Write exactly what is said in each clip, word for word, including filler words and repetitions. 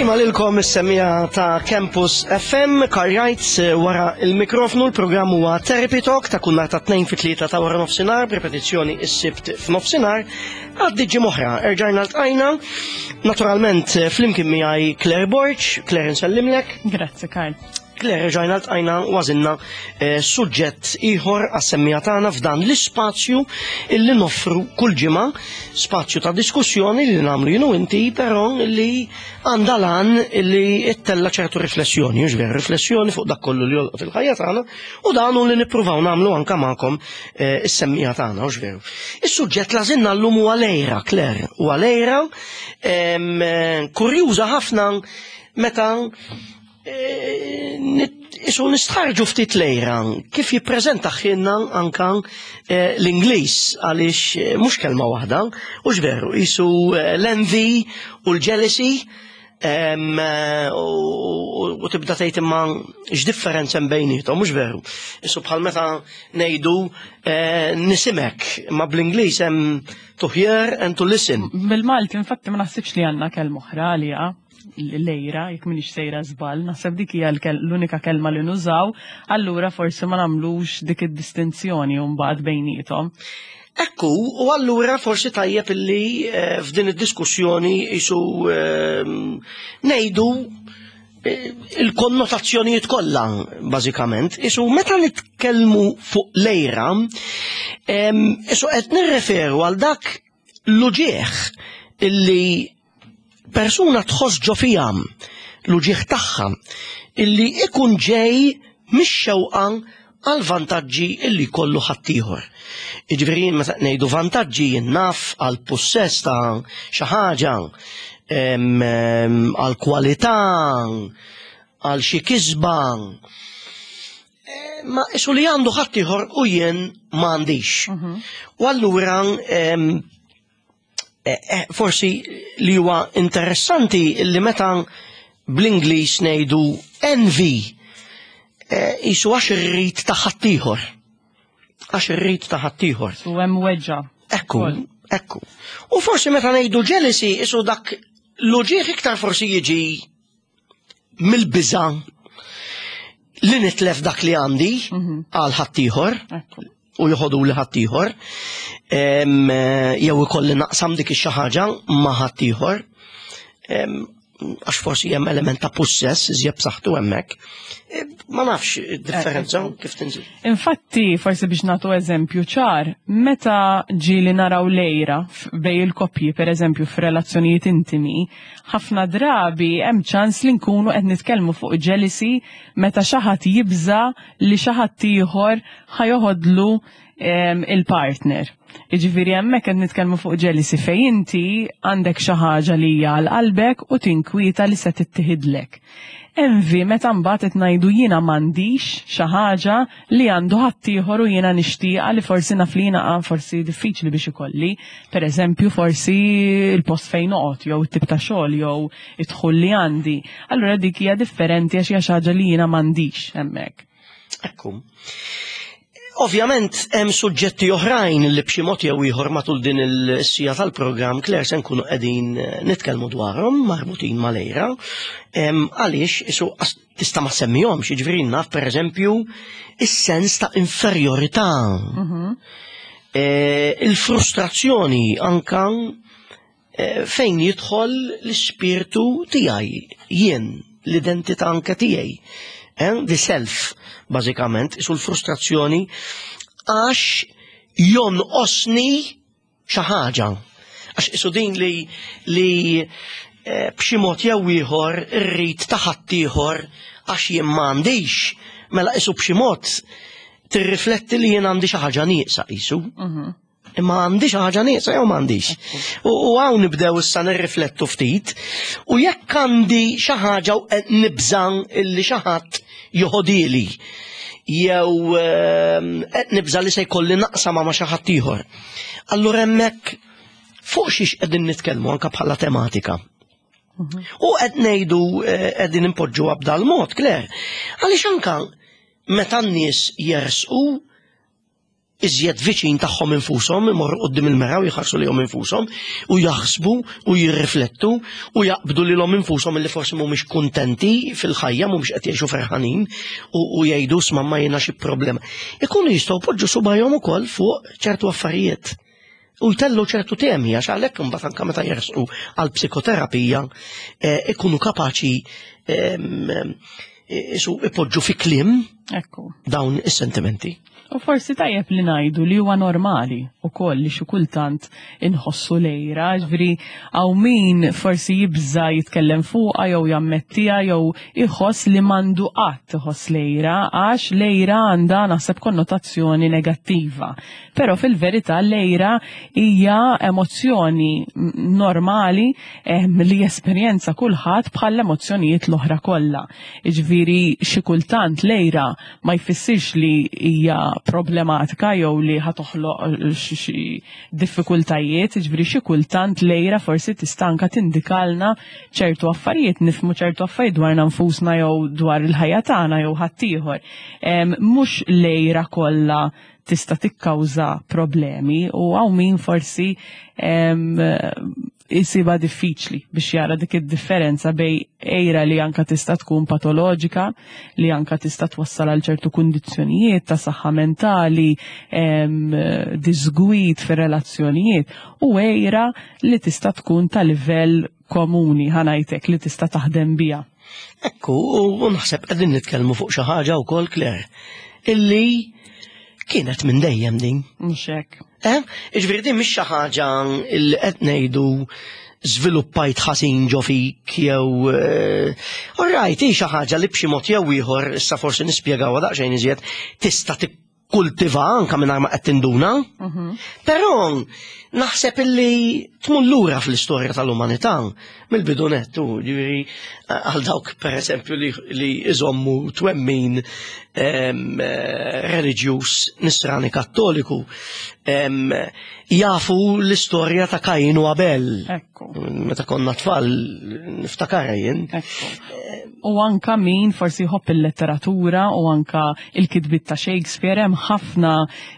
Ġimgħa lilkom is-semmiegħa ta' Campus F M, Karjajt wara il-mikrofnu. L-programm huwa Therapy Talk ta' kull nhar ta' tnejn fit-tlieta ta' wara nofsinhar, b'ripetizzjoni is-Sibt f'nofsinhar. Għaddi ġimgħa oħra, erġajna ltqajna. Naturalment flimkien miegħi Claire Borg. Claire, nsellimlek. Grazzi, Karl. Claire, erġajna ltqajna u għażilna eh, suġġett ieħor għas-semmiegħa tagħna f'dan l-ispazju illi noffru kull ġimgħa, spazju ta' diskussjoni li nagħmlu jien u inti, però li għandha l-għan li ittella ċertu riflessjoni, mhux veru, riflessjoni fuq dak kollu li jolqot il-ħajja tagħna, u dan hu li nippruvaw nagħmlu anke magħkom eh, is-semmiegħa tagħna, mhux veru. Is-suġġett li għażilna llum huwa l-għira, Claire, huwa l-għira em, eh, kurjuża ħafna meta Isu nistħarġu ftit l-għira, kif jippreżenta ħinna anka eh, l-Ingliż, għaliex eh, mhux kelma waħda, u veru, isu eh, l-envy u l-jealousy, em, eh, u u tibda tgħid imma x'differenza hemm bejniethom, mhux veru? Isu bħal meta ngħidu eh, nisimek, imma bl-Ingliż hemm to hear and to listen. Bil-Malti, infatti, ma naħsibx li għandna kelma oħra għalija l-għira, jekk minix sejra żball, naħseb dik hija l-kel- l-unika kelma li nużaw, allura forsi ma nagħmlux dik id-distinzjoni mbagħad bejniethom. Ekku, u allura forsi tajjeb illi eh, f'din id-diskussjoni isu eh, ngħidu eh, il-konnotazzjonijiet kollha bażikament. Isu meta nitkellmu fuq l-għira, em, isu qed nirreferu għal dak l-uġieħ illi persuna tħoss ġo fiha, l-uġieħ tagħha illi ikun ġej mix-xewqa għal vantaġġi illi kollu ħaddieħor. Jiġifieri meta ngħidu vantaġġi naf għal possess ta' xi ħaġa, em, em, għal kwalità, għal xi kisba. Eh, Ma isu li għandu ħaddieħor u jien m'għandix. U allura em, eh, eh, forsi li huwa interessanti li meta bl-Ingliż ngħidu envy, eh, isu għax irrid ta' ħaddieħor. Għax irrid ta' ħaddieħor. U hemm weġġa. Ekku, ekku. U forsi meta ngħidu jealousy, isu dak l-uġieħ iktar forsi jiġi mill-biża li nitlef dak li għandi għal ħaddieħor Ekku. u joħodu li ħaddieħor, em, eh, jew ikolli naqsam dik ix-xi ħaġa ma' ħaddieħor, em, għax forsi hemm element ta' possess iżjed b'saħħtu hemmhekk. Eh, Ma nafx id-differenza kif tinżil. Infatti, forsi biex nagħtu eżempju ċar, meta ġieli naraw l-għira f- bejn il-koppji, per eżempju, f'relazzjonijiet intimi, ħafna drabi hemm ċans li nkunu qed nitkellmu fuq jealousy meta xi ħadd jibża li xi ħadd ieħor ħa joħodlu em, il-partner. Jiġifieri hemmhekk qed nitkellmu fuq jealousy fejn inti għandek xi ħaġa li hija għal qalbek u tinkwieta li se tittieħidlek. Envy meta mbagħad qed ngħidu jiena m'għandix xi ħaġa li għandu ħaddieħor u jiena nixtieqa li forsi naf li jiena ah, forsi diffiċli biex ikolli. Per eżempju, forsi il-post fejn noqgħod jew it-tip ta' xogħol jew id-dħul li għandi. Allura dik hija differenti għax hija xi ħaġa li jiena m'għandix hemmhekk. Ekku. Ovvjament hemm suġġetti oħrajn li b'xi mod jew ieħor matul din is-siegħa tal-programm, Claire, se nkunu qegħdin eh, nitkellmu dwarhom marbutin mal-għira. Em, Għaliex isu as- tista' ma semmihomx, jiġifieri naf pereżempju is-sens ta' inferjorità. Eh, Il-frustrazzjoni anka eh, fejn jidħol l-ispirtu tiegħi, jien, l-identità anke tiegħi. Eh, The self, bażikament, isu l-frustrazzjoni għax jonqosni xi ħaġa. Għax isu din li li eh, b'xi mod jew ieħor irrid ta' ħaddieħor għax jien m'għandix, mela isu b'xi mod tirrifletti li jien għandi xi ħaġa nieqsa isu. Imma għandi xi ħaġa nieqsa jew m'għandix? U u hawn nibdew issa nirriflettu ftit. U jekk għandi xi ħaġa u qed nibżan illi xi ħadd joħodili jew ehm, qed nibża li se jkolli naqsam ma' xi ħadd ieħor. Allura hemmhekk fuq xiex qegħdin nitkellmu anke bħala tematika? U qed ngħidu eh, qegħdin impoġġu b'dal mod, Claire. Għaliex anka meta n-nies jersqu iżjed viċin tagħhom infushom, imorru quddiem il-mera u jħarsu lejhom infushom u jaħsbu u jirriflettu u jaqbdu lilhom infushom li forsi mhumiex kuntenti fil-ħajja, mhumiex qed jgħixu ferħanin u, u jgħidu isma' ma jiena xi problema. Ikunu jistgħu poġġu subajhom ukoll fuq ċertu affarijiet. U jtellu ċertu temi, għax għalhekk imbagħad anke meta jersqu għal psikoterapija eh, ikunu kapaċi em, isu ipoġġu fi kliem Ekku. dawn is-sentimenti. U forsi tajjeb li ngħidu li huwa normali u koll li xi kultant inħossu l-għira, ġifieri hawn min forsi jibża jitkellem fuqha jew jammettiha jew iħoss li m'għandu qatt iħoss l-għira għax l-għira għandha naħseb konnotazzjoni negattiva. Però fil-verità l-għira hija emozzjoni normali eh, li jesperjenza kulħadd bħal emozzjonijiet l-oħra kollha. Jiġifieri xi kultant l-għira ma jfissirx li hija problematika jew li ħa toħloq xi diffikultajiet, ġifieri xi kultant l-għira forsi tista' anka tindikalna ċertu affarijiet, nifhmu ċertu affarijiet dwarna nfusna jew dwar il-ħajja tagħna jew ħaddieħor. Mhux l-għira kollha tista' tikkawża problemi u hawn min forsi jisibha diffiċli biex jara dik id-differenza bejn għira li anka tista' tkun patoloġika, li anka tista' twassal għal ċertu kundizzjonijiet ta' saħħa mentali, disgwid fir-relazzjonijiet, u għira li tista' tkun ta' livell komuni ħa ngħidlek li tista' taħdem biha. Ekku, u naħseb qegħdin nitkellmu fuq xi ħaġa wkoll Claire, illi kienet minn dejjem din. Mhux hekk. Eh? Iġifieri din mhix xi ħaġa li qed ngħidu żviluppajt ħażin ġo fik jew all right, hi xi ħaġa li b'xi mod jew ieħor issa forsi nispjegawha daqsxejn iżjed tista' tikkultiva anke mingħajr ma qed tinduna. Però naħseb illi tmur lura fl-istorja tal-umanità mill-bidu nett, ġifieri għal dawk pereżempju li, li iżommu twemmin reliġjuż nisrani kattoliku em, jafu l-istorja ta' Kajin u Abel. Ekku. Meta konna tfal niftakar jien. Ekku. U anka min forsi jħobb il-letteratura u anka il-kitbiet ta' Shakespeare hemm ħafna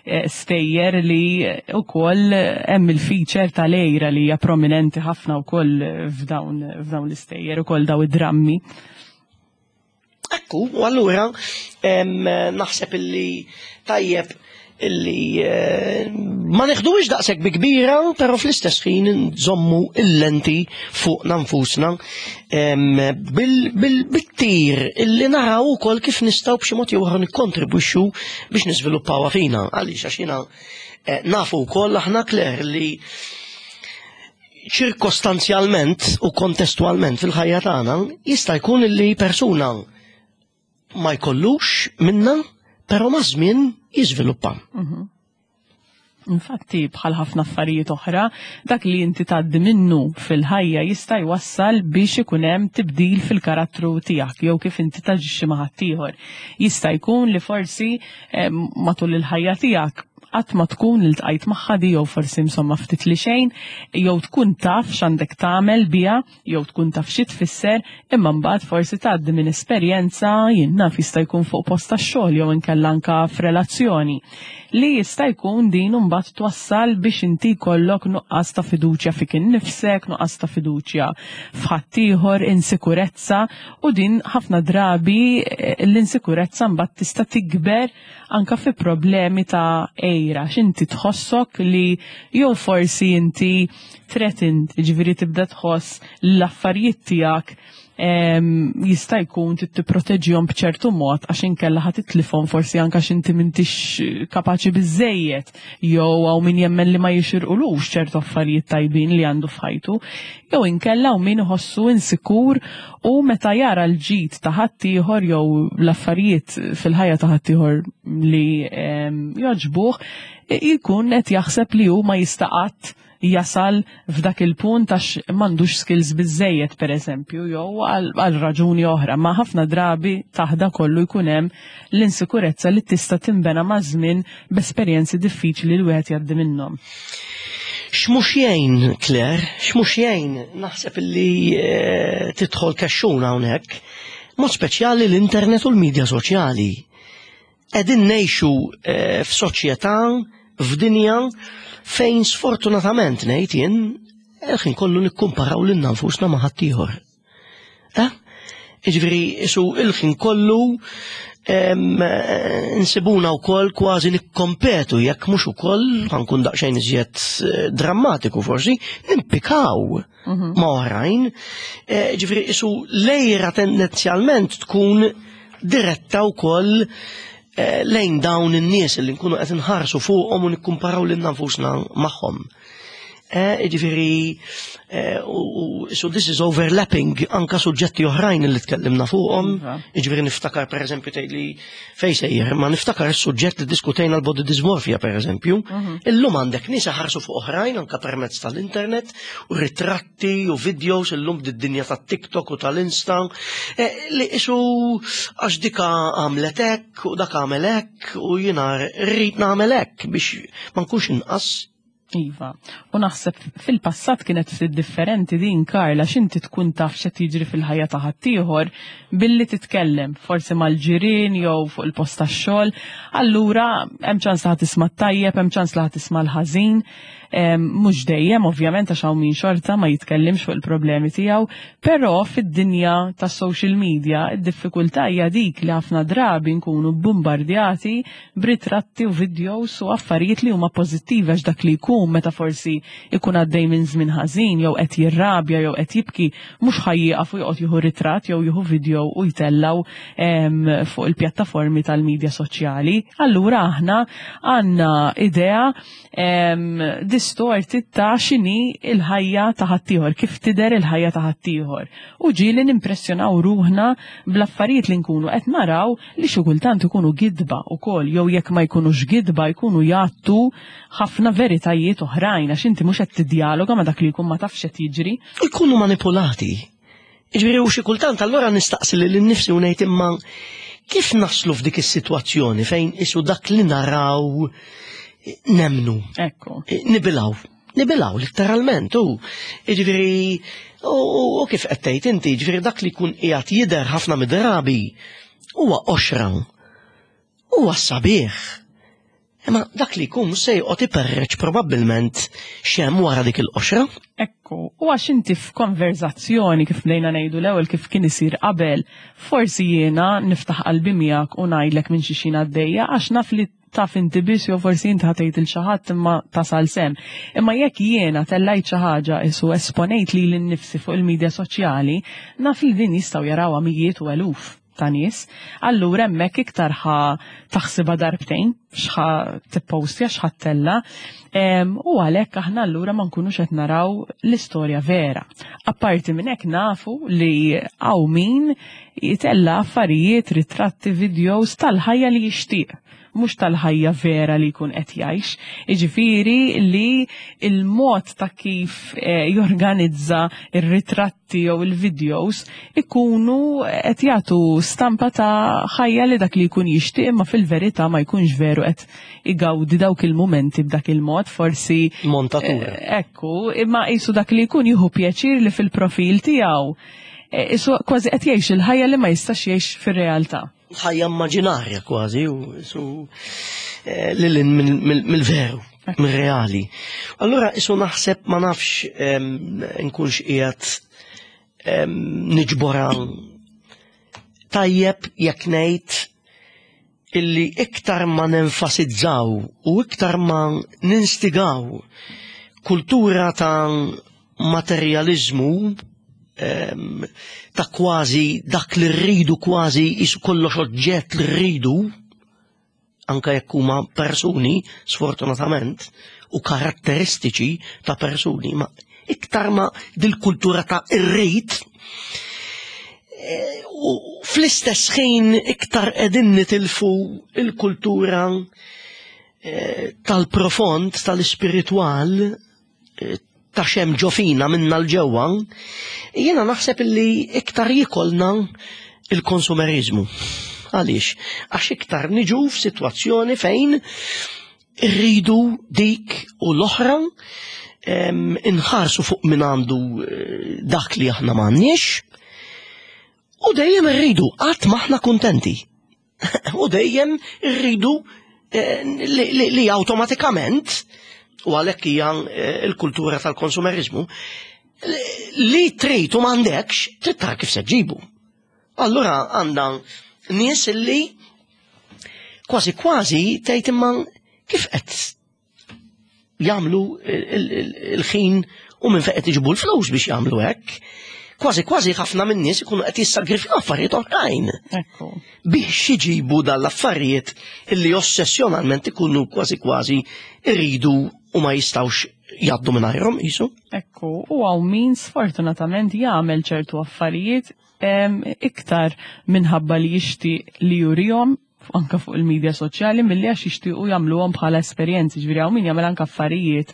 eh, stejjer li ukoll hemm il-feature tal-għira li hija prominenti ħafna wkoll f'dawn f'dawn l-istejjer ukoll daw id-drammi. Ekku, u allura em, naħseb illi tajjeb illi eh, ma neħduhiex daqshekk bi kbira, però fl-istess ħin nżommu il-lenti fuq nfusna em, bil- bil- bit-tir illi naraw ukoll kif nistgħu b'xi mod jew ieħor nikkontribwixxu biex niżviluppawha fina. Għaliex għax jiena eh, nafu wkoll aħna Claire li ċirkostanzjalment u kontestualment fil-ħajja tagħna jista' jkun illi persuna ma jkollux minna, però ma' żmien jiżviluppa. Infatti, bħal ħafna affarijiet oħra, dak li inti tgħaddi minnu fil-ħajja jista' jwassal biex ikun hemm tibdil fil-karattru tiegħek jew kif inti taġixxi ma' ħaddieħor. Jista' jkun li forsi eh, matul il-ħajja tiegħek qatt ma tkun iltqajt magħha di jew forsi insomma ftit li xejn, jew tkun taf x'għandek tagħmel biha, jew tkun taf xi tfisser, imma mbagħad forsi tgħaddi minn esperjenza jien naf jista' jkun fuq post tax-xogħol jew inkella anka f'relazzjoni li jista' jkun din mbagħad twassal biex inti jkollok nuqqas ta' fiduċja fik innifsek, nuqqas ta' fiduċja f'ħaddieħor, insikurezza u din ħafna drabi eh, l-insikurezza mbagħad tista' tikber anka fi problemi ta' għira, x'inti tħossok li jew forsi inti threatened, ġifieri tibda tħoss l-affarijiet tiegħek em, jista' jkun trid tipproteġihom b'ċertu mod għax inkella ħa titlifhom forsi anke għax inti m'intix kapaċi biżejjed jew hawn min jemmen li ma jixirqulux ċertu affarijiet tajbin li għandu f'ħajtu, jew inkella hawn min iħossu insikur u meta jara l-ġid ta' ħaddieħor jew l-affarijiet fil-ħajja ta' ħaddieħor li em, jogħġbuh, jkun qed jaħseb li hu ma jista' qatt jasal f'dak il-punt għax m'għandux skills biżejjed per eżempju, jew għal għal raġuni oħra, ma ħafna drabi taħt da kollu jkun hemm l-insikurezza li tista' timbena ma' żmien b'esperjenzi diffiċli li wieħed jgħaddi minnhom. X'mhux jgħin, Claire, x'mhux jgħin, naħseb illi eh, tidħol kexxuna hawnhekk, mod speċjali l-internet u l-medja soċjali. Qegħdin ngħixu eh, f'soċjetà, f'dinja fejn sfortunatament ngħid jien il-ħin kollu nikkumparaw lilna nfusna ma' ħaddieħor. Eh? Jiġifieri isu il-ħin kollu em, eh, nsibuna wkoll kważi nikkompetu jekk mhux ukoll ħa nkun daqsxejn iżjed eh, drammatiku forsi, nimpikaw ma' oħrajn. Eh, Ġifieri isu l-għira tendenzjalment tkun diretta wkoll eh, lejn dawn in-nies li nkunu qed inħarsu fuqhom u nikkumparaw lilna nfusna magħhom. Eh, Ġifieri, eh, u u- so this is overlapping anka suġġetti oħrajn li tkellimna fuqhom. Iva. Ġifieri niftakar per eżempju tgħidli fejn sejjer, ma niftakar is-suġġett li diskutejna l-body dysmorphia per eżempju. Illum għandek nies ħarsu fuq oħrajn anka permezz tal-internet u ritratti u videos illum d-dinja tat-TikTok u tal-Insta eh, li isu għax dika għamlet hekk u dak għamel hekk u jiena rrid nagħmel hekk biex ma nkunx inqas. Iva. U naħseb fil-passat kienet ftit differenti din, Karla, x'inti tkun taf x'qed jiġri fil-ħajja ta' ħaddieħor billi titkellem, forsi mal-ġirien jew fuq il-post tax-xogħol. Allura hemm ċans li ħa tisma' tajjeb, hemm ċans li ħa tisma' l-ħażin. Em, Mhux dejjem, ovvjament, għax hawn min xorta ma jitkellimx fuq il-problemi tiegħu, però fid-dinja tas social media id-diffikultà hija dik li ħafna drabi nkunu bombardjati b'ritratti u videos u affarijiet li huma pożittivi, għax dak li jkun meta forsi ikun għaddej minn żmien ħażin jew qed jirrabja jew qed jibki, mhux ħa jieqaf u joqgħod jieħu ritratt jew jieħu video u jtellgħu em, fuq il-pjattaformi tal-medja soċjali. Allura aħna għandna idea em, distorti ta' x'inhi il-ħajja ta' ħaddieħor, kif tidher il-ħajja ta' ħaddieħor. U ġieli nimpressjonaw ruħna bl-affarijiet li nkunu qed naraw, li xi kultant ikunu gidba ukoll, jew jekk ma jkunux gidba jkunu jgħattu ħafna veritajiet oħrajn, għax inti mhux qed tiddialoga ma' dak li jkun, ma tafx qed jiġri. U jkunu manipulati. Ġifieri u xi kultant allura nistaqsi lil nifsi u ngħid, imma kif naslu f'dik is-sitwazzjoni fejn isu dak li naraw nemnu, Ekku. nibilgħu, nibilgħu letteralment, u ġifieri u u kif qed tgħid inti, ġifieri dak li jkun qiegħed jidher ħafna mid-drabi huwa qoxra, huwa sabiħ. Imma dak li jkun se joqgħod iperreċ probabbilment x'hemm wara dik il-qoxra. Ekku, u għax inti f'konverzazzjoni, kif bdejna ngħidu l-ewwel, kif kien isir qabel, forsi jiena niftaħ qalbi miegħek u ngħidlek minn xi xi għaddejja għax naf li taf inti biss jew forsi inti ħa tgħid lil xi ħadd imma tasal s'hemm. Imma jekk jiena tellajt xi ħaġa isu esponejt lili nnifsi fuq il-medja soċjali, naf li din jistgħu jarawha mijiet u eluf ta' nies, allura hemmhekk iktar ħa taħsibha darbtejn x'ħa tippostja, x'ħa ttella', em, u għalhekk aħna allura ma nkunux qed naraw l-istorja vera. Apparti minn hekk nafu li hawn min jitella affarijiet, ritratti, videos tal-ħajja li jixtieq, mhux tal-ħajja vera li jkun qed jgħix. Jiġifieri li il-mod ta' kif eh, jorganizza ir-ritratti jew il-videos ikunu qed jagħtu stampa ta' ħajja li dak li jkun jixtieq, imma fil-verità ma jkunx veru qed igawdi dawk il-mumenti b'dak il-mod, forsi Montatura. Eh, Ekku, imma qisu dak li jkun jieħu pjaċir li fil-profil tiegħu eh, isu kważi qed jgħix il-ħajja li ma jistax jgħix fir-realtà. Ħajja immaġinarja kważi u su eh, lil hinn mill-veru, mill-reali. Allura isu naħseb, ma nafx em, nkunx qiegħed em, niġbora tajjeb jekk ngħid illi iktar ma nenfasizzaw u iktar ma ninstigaw kultura ta' materializmu em, ta' kważi dak li rridu, kważi isu kollox oġġett li rridu, anka jekk huma persuni sfortunatament u karatteristiċi ta' persuni, ma iktar ma dil-kultura ta' irrid eh, u fl-istess ħin iktar qegħdin nitilfu il-kultura eh, tal-profond, tal-ispiritwal, eh, ta' x'hemm ġo fina minna 'l ġewwa, jiena naħseb illi iktar jikolna il-konsumerizmu. Għaliex? Għax iktar niġu f'sitwazzjoni fejn irridu dik u l-oħra, em, inħarsu fuq min għandu eh, dak li aħna m'għandniex u dejjem irridu, qatt m'aħna kuntenti. U dejjem irridu eh, li, li, li awtomatikament, u għalhekk hija eh, il-kultura tal-konsumerizmu, li, li trid u m'għandekx, trid tara kif se ġġibu. Allura għandna nies li kważi kważi tgħid, imma kif qed jagħmlu il-ħin u minn fejn qed iġibu l-flus biex jagħmlu hekk? Kważi kważi ħafna minn nies ikunu qed jissagrifikaw affarijiet oħrajn Ekku. biex iġibu dal-affarijiet illi ossessjonalment ikunu kważi kważi irridu u ma jistawx jgħaddu mingħajrhom qisu. Ekku, u hawn min sfortunatament jagħmel ċertu affarijiet em, iktar minħabba li jixtieq li jurihom anka fuq il-medja soċjali milli għax jixtiequ jagħmluhom bħala esperjenzi. Ġifieri hawn min jagħmel anke affarijiet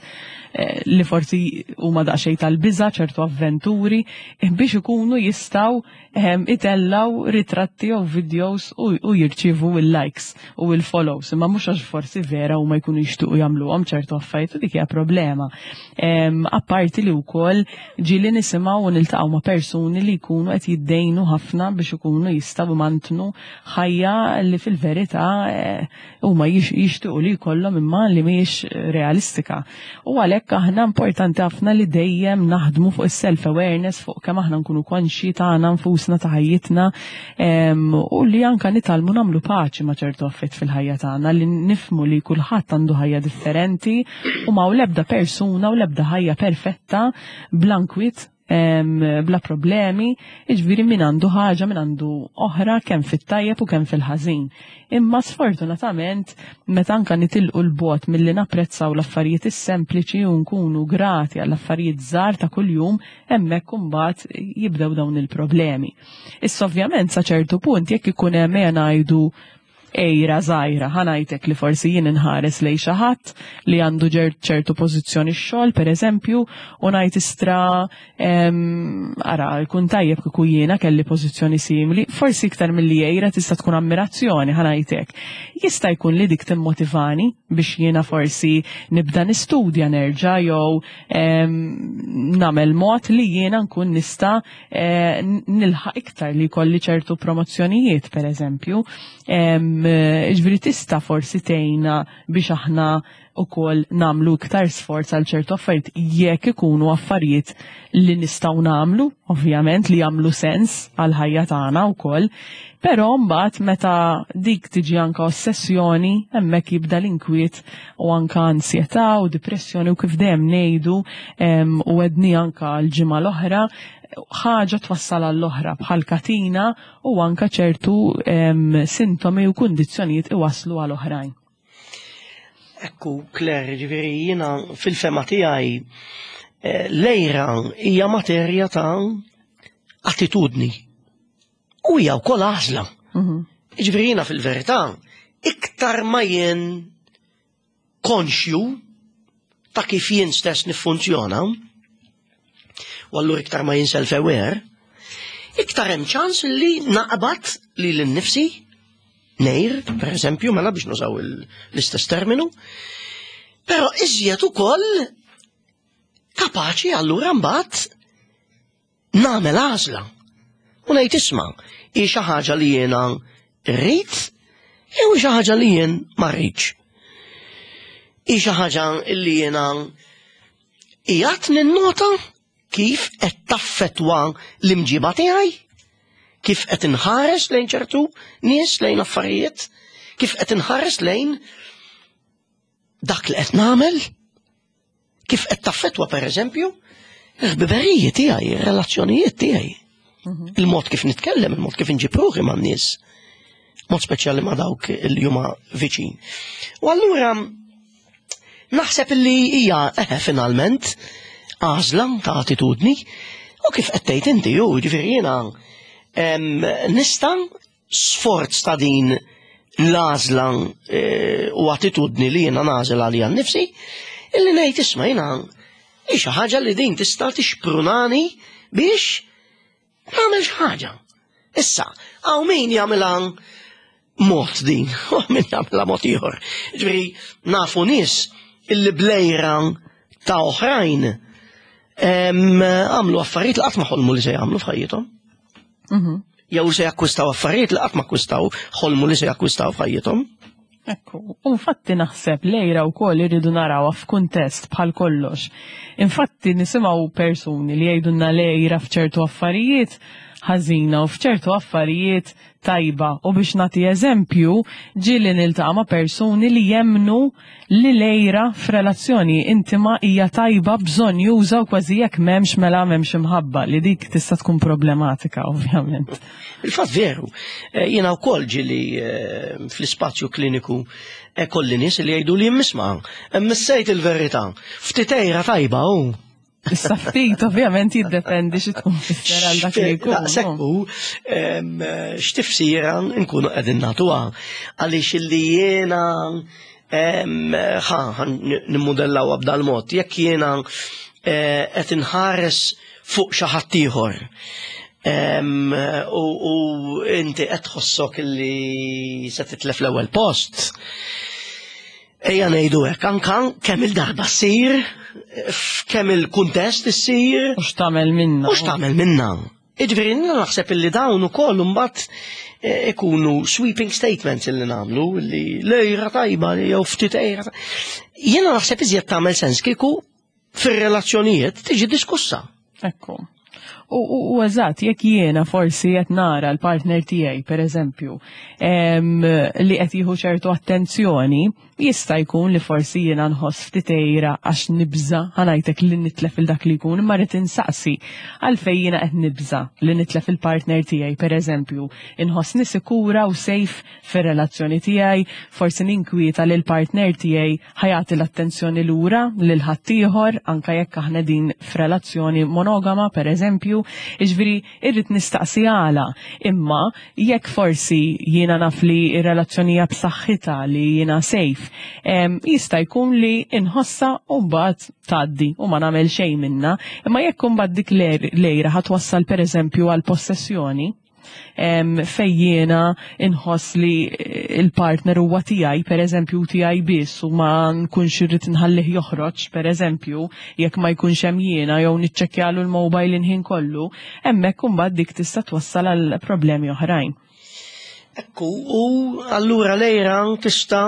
eh, li forsi huma daqsxejn tal-biża', ċertu avventuri, eh, biex ikunu jistgħu ehm, itellaw ritratti jew videos u, u jirċievu il-likes u il-follows. Imma mhux għax forsi vera huma jkunu jixtiequ jagħmluhom ċertu affarijiet, u dik hija problema. Em, Apparti li wkoll ġieli nisimgħu u niltaqgħu ma' persuni li jkunu qed jiddejnu ħafna biex ikunu jistgħu imantnu ħajja li fil-verità eh, huma jix- jixtiequ li jkollhom imma li mhijiex realistika. U għalhekk aħna importanti ħafna li dejjem naħdmu fuq is-self awareness, fuq kemm aħna nkunu konxji tagħna nfusna, ta' ħajjitna, em, u li anka nitgħallmu nagħmlu paċi ma' ċertu affarijiet fil-ħajja tagħna, li nifhmu li kulħadd għandu ħajja differenti u ma l-ebda persuna u l-ebda ħajja perfetta bla nkwiet, em, bla problemi, iġviri min għandu ħaġa, min għandu oħra, kemm fit-tajjeb u kemm fil-ħażin. Imma sfortunatament, meta anka nitilqu 'l bogħod milli napprezzaw l-affarijiet is-sempliċi u nkunu grati għall affarijiet żgħar ta' kuljum, hemmhekk imbagħad jibdew dawn il-problemi. Issa ovvjament sa ċertu punt, jekk ikun hemm, ejja ngħidu, għira żgħira, ħa ngħidlek, li forsi jien inħares lejn xi ħadd li għandu ċertu pożizzjoni x-xogħol, pereżempju, u ngħid, "Istra, em, ara, jkun tajjeb kieku jiena kelli pożizzjoni simili", forsi iktar milli għira tista' tkun ammirazzjoni, ħa ngħidlek. Jista' jkun li dik timmotivani biex jiena forsi nibda nistudja nerġa' jew em, nagħmel mod li jiena nkun nista' eh, nilħaq iktar, li jkolli ċertu promozzjonijiet, pereżempju. Em, Ġifieri tista' forsi tgħinna biex aħna ukoll nagħmlu iktar sforz għal ċertu affarijiet, jekk ikunu affarijiet li nistgħu nagħmlu, ovvjament li jagħmlu sens għal ħajja tagħna wkoll. Però mbagħad meta dik tiġi anka ossessjoni, hemmhekk jibda l-inkwiet u anka ansjetà u depressjoni, u kif dejjem ngħidu em, u għedna anka l-ġimgħa l-oħra, ħaġa twassal għall-oħra bħal katina, u anka ċertu em, sintomi u kundizzjonijiet iwaslu għal oħrajn. Ekku, Claire, ġifieri jiena fil-fehma tiegħi eh, l-għira hija materja ta' attitudni. U hija wkoll għażla. Mhm. Ġifieri jiena fil-verità, iktar ma jien konxju ta' kif jien stess niffunzjona, u allura iktar ma jien self-aware, iktar hemm ċans li naqbad li l-nifsi ngħir, per eżempju, mela biex nużaw il- l-istess terminu, però iżjed ukoll kapaċi allura mbagħad nagħmel għażla. U ngħid, "Isma', hi xi ħaġa li jiena rrid jew hi xi ħaġa li jien ma rridx? Hi xi ħaġa li jiena qiegħed ninnota kif qed taffetwa l-imġiba tiegħi? Kif qed inħares lejn ċertu nies, lejn affarijiet, kif qed inħares lejn dak li qed nagħmel, kif qed taffetwa, pereżempju, il-ħbiberiji tiegħi, ir-relazzjonijiet tiegħi? Il-mod kif nitkellem, il-mod kif inġib ruħi man-nies, mod speċjali ma' dawk li huma viċin." U allura naħseb li hija eħe finalment għażla ta' attitudni, u kif qed tgħid inti ju, ġifieri jiena em, nista' sforz ta' din l-għażla eh, u attitudni li jiena nagħżel għalija nnifsi, illi ngħid, "Isma', jiena hi xi ħaġa li din tista' tixprunani biex nagħmel xi ħaġa." Issa, hawn min jagħmilha mod din, u min jagħmilha mod ieħor. Ġifieri nafu nies illi bl-għira ta' oħrajn em, għamlu affarijiet li qatt ma ħolmu li se jagħmlu f'ħajjithom. Mhm. Jew se jakkwistaw affarijiet li qatt ma akkwistaw, ħolmu li se jakkwistaw f'ħajjithom. Ekku, u infatti naħseb l-għira wkoll irridu narawha f'kuntest bħal kollox. Infatti nisimgħu persuni li jgħidulna l-għira f'ċertu affarijiet ħażina u f'ċertu affarijiet tajba. U biex nagħti eżempju, ġieli niltaqa' ma' persuni li jemmnu li l-għira f'relazzjoni intima hija tajba, bżonnjuża, u kważi jekk m'hemmx mela m'hemmx imħabba, li dik tista' tkun problematika, ovvjament. Il-fatt veru, eh, jiena wkoll ġieli eh, fl-ispazju kliniku eh, kolli nies li jgħidu li jimmisma, missejt il-verità, ftit għira tajba u. Issa ftit ovvjament jiddependi xi tkun fisser għal dak li jkun. Daqshekk hu x'tifsira nkunu qegħdin nagħtuha. Għaliex illi jiena ħa nimmudellaw b'dal mod, jekk jiena eh, qed inħares fuq xi ħadd ieħor u inti qed tħossok illi se titlef l-ewwel post. Ejja ngħidu hekk, anka kemm il-darba ssir, f'kemm il-kuntest issir. U x'tagħmel minna. U x'tagħmel minna. Jiġifieri naħseb illi dawn ukoll imbagħad eh, ikunu sweeping statements illi nagħmlu li l-għira tajba jew ftit għira. Jiena naħseb iżjed tagħmel sens kieku fir-relazzjonijiet tiġi diskussa. Ekku. U, u, u eżatt, jekk jiena forsi qed nara l-partner tiegħi, per eżempju, li qed jieħu ċertu attenzjoni, jista' jkun li forsi jiena nħoss ftit għira għax nibża, ħa ngħidlek, li nitlef il dak li jkun, imma rrid insaqsi għalfejn jiena qed nibża li nitlef il-partner tiegħi, per eżempju, inħossni sikura u safe fir-relazzjoni tiegħi, forsi ninkwieta li l-partner tiegħi ħa jagħti l-attenzjoni lura lil ħaddieħor, anka jekk aħna din f'relazzjoni monogama, per eżempju, jiġifieri irrid nistaqsi għala. Imma jekk forsi jiena naf li r-relazzjoni hija b'saħħitha, li jiena safe, jista' jkun li inħossa u mbagħad tgħaddi u ma nagħmel xejn minna. Imma jekk imbagħad dik l-għira ħa twassal, pereżempju, għal possessjoni, fejn jiena inħoss li il-partner huwa tiegħi, pereżempju, tiegħi biss, u ma nkunx irrid nħallih joħroġ, pereżempju, jekk ma jkunx hemm jiena, jew niċċekkjalu l-mobile il-ħin kollu, hemmhekk imbagħad dik tista' twassal għal problemi oħrajn. Ekku, u allura l-għira tista'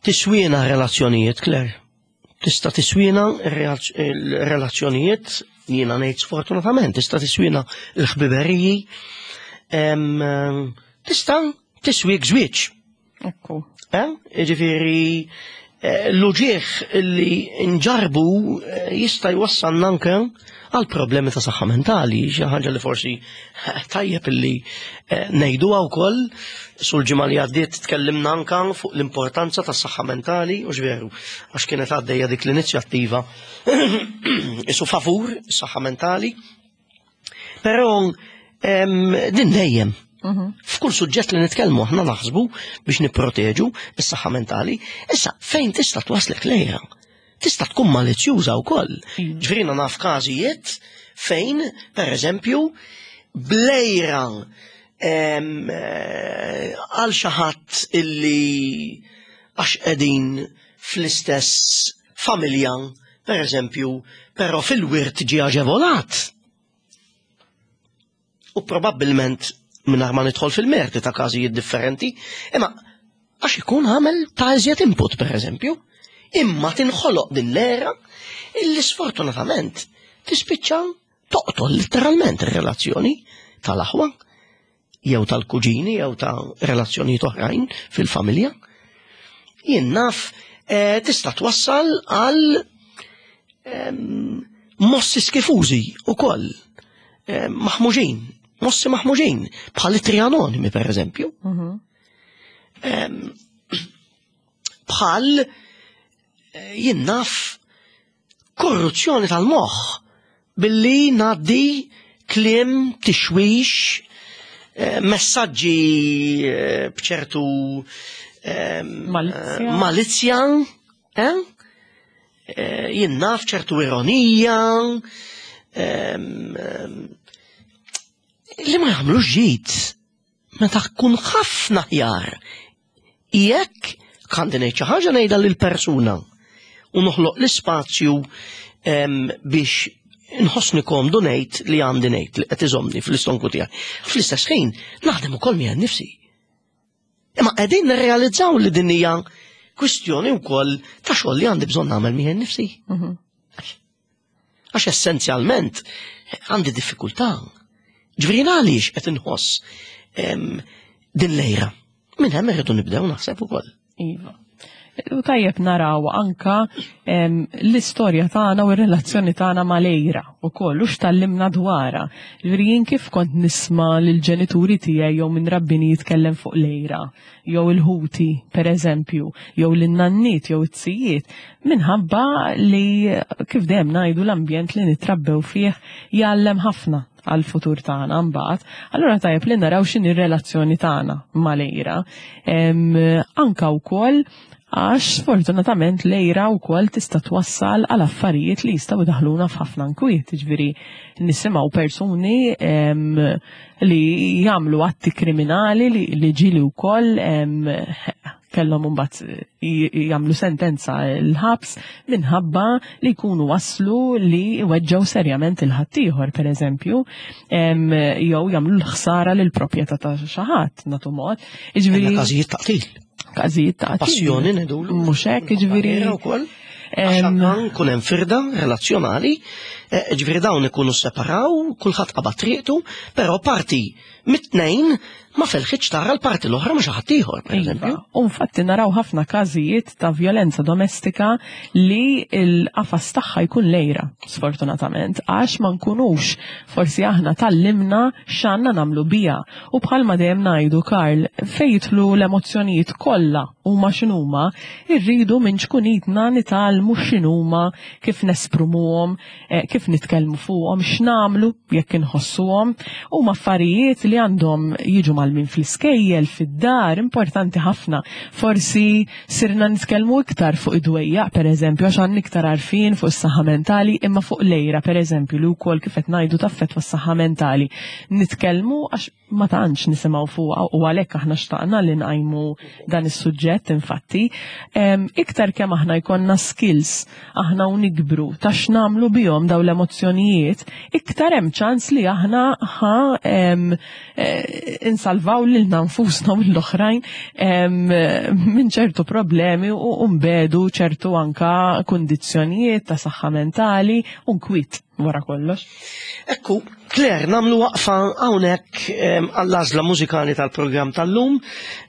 tiswina relazzjonijiet, Claire. Tista' tiswina relazzjonijiet, jiena ngħid sfortunatament, tista' tiswina l-ħbiberiji, tista' tiswik żwieġ. Ekku. Eh? Jiġifieri eh, l-uġieħ li nġarbu eh, jista' jwassalna anke għal problemi ta' saħħa mentali, xi ħaġa li forsi tajjeb illi ngħiduha wkoll. Sul ġimgħa li għaddiet tkellimna anka fuq l-importanza tas saħħa mentali, u veru, għax kienet għaddejja dik l-inizjattiva isu favur is-saħħa mentali. Però din dejjem mhm. f'kull suġġett li nitkellmu aħna naħsbu biex nipproteġu is-saħħa mentali. Issa, fejn tista' twaslek l-għira? Tista' tkun malizzjuża wkoll. Mm. Ġifieri naf każijiet fejn, per eżempju, bl-għira eh, għal xi ħadd illi għax qegħdin fl-istess familja, per eżempju, però fil-wirt ġie aġevolat. U probabbilment, mingħajr ma nidħol fil-merti ta' każijiet differenti, imma għax ikun għamel ta' iżjed input, per eżempju, imma tinħoloq din l-għira illi sfortunatament tispiċċa toqtol letteralment ir-relazzjoni tal-aħwa jew tal-kuġini jew ta' relazzjonijiet oħrajn fil-familja. Jien naf, eh, tista' twassal għal mossi skifużi ukoll, maħmuġin, mossi maħmuġin, bħal ittri anonimi, per eżempju. Mhm. Bħal eh, jien naf, korruzzjoni tal-moħħ billi ngħaddi kliem, tixwix, eh, messaġġi eh, bċertu malizzja, malizzja, eh? Jien naf, ċertu ironija, li ma jagħmlux ġid, meta tkun ħafna aħjar jekk għandi ngħid xi ħaġa, ngħidha lill-persuna u noħloq l-ispazju biex nħossni komdu ngħid li għandi ngħid li qed iżomni fl-istonku tiegħi. Fl-istess ħin naħdem ukoll miegħi nnifsi. Imma qegħdin nirrealizzaw li din hija kwistjoni wkoll ta' xogħol li għandi bżonn nagħmel miegħi nnifsi. Mhm. Għax essenzjalment għandi diffikultà. Ġifieri għaliex qed inħoss em, din l-għira. Minn hemm irridu nibdew naħseb ukoll. Iva. U tajjeb naraw anka em, l-istorja tagħna u r-relazzjoni tagħna mal-għira ukoll u x'tallimna dwarha. Ġifieri jien kif kont nisma' lill-ġenituri tiegħi jew minn rabbini jitkellem fuq l-għira, jew il-ħuti pereżempju, jew lin-nanniet jew it-tzijiet, minħabba li kif dejjem ngħidu l-ambjent li nitrabbew fih jgħallem ħafna għal-futur tagħna mbagħad. Allura tajjeb li naraw x'inhi r-relazzjoni tagħna mal-għira. Em, Anka wkoll għax sfortunatament l-għira wkoll tista' twassal għal affarijiet li jistgħu jdaħluna f'ħafna nkwiet, jiġifieri nisimgħu persuni em, li jagħmlu atti kriminali li, li ġieli wkoll em, kellhom imbagħad jagħmlu sentenza l-ħabs minħabba li jkunu waslu li weġġgħu serjament il-ħaddieħor pereżempju, em, jew jagħmlu l-ħsara lil proprjetà ta' xi ħadd nagħtu mod. Jiġifieri Għandna każijiet ta' qtil. każijiet ta' qtil. Passjoni ngħidulu. Mhux hekk, jiġifieri Għira wkoll. Għax em, anka nkun hemm firda relazzjonali, eh, ġifieri dawn ikunu separaw, kulħadd qabad triqtu, però parti mit-tnejn ma felħitx tara l-parti l-oħra ma xi ħadd ieħor, pereżempju. Iva. U infatti naraw ħafna każijiet ta' violenza domestika li l-qafas tagħha jkun l-għira, sfortunatament, għax ma nkunux forsi aħna tgħallimna x'għandna nagħmlu biha. U bħalma dejjem ngħidu Karl, fejn jidħlu l-emozzjonijiet kollha huma x'inhuma, irridu minn ċkunitna nitgħallmu x'inhuma, kif nesprimuhom, eh, kif nitkellmu fuqhom, x'nagħmlu jekk inħossuhom, huma affarijiet li għandhom jiġu mgħallmin fl-iskejjel, fid-dar, importanti ħafna. Forsi sirna nitkellmu iktar fuq id-dwejjaq, per eżempju, għax għandna iktar għarfien fuq is-saħħa mentali, imma fuq l-għira, per eżempju, li wkoll kif qed ngħidu taffettwa s-saħħa mentali. Nitkellmu għax ma tantx nisimgħu fuqha u għalhekk aħna xtaqna li nqajmu dan is-suġġett infatti. Em, iktar kemm aħna jkollna skills aħna u nikbru ta' x'nagħmlu bihom dawn l-emozzjonijiet, iktar hemm ċans li aħna ħa em, eh, insalvaw lilna nfusna u l-oħrajn em, minn ċertu problemi u u nbedu ċertu anka kundizzjonijiet ta' saħħa mentali u nkwiet wara kollox. Ekku, Claire, nagħmlu waqfa hawnhekk em, għall-għażla mużikali tal-programm tal-lum.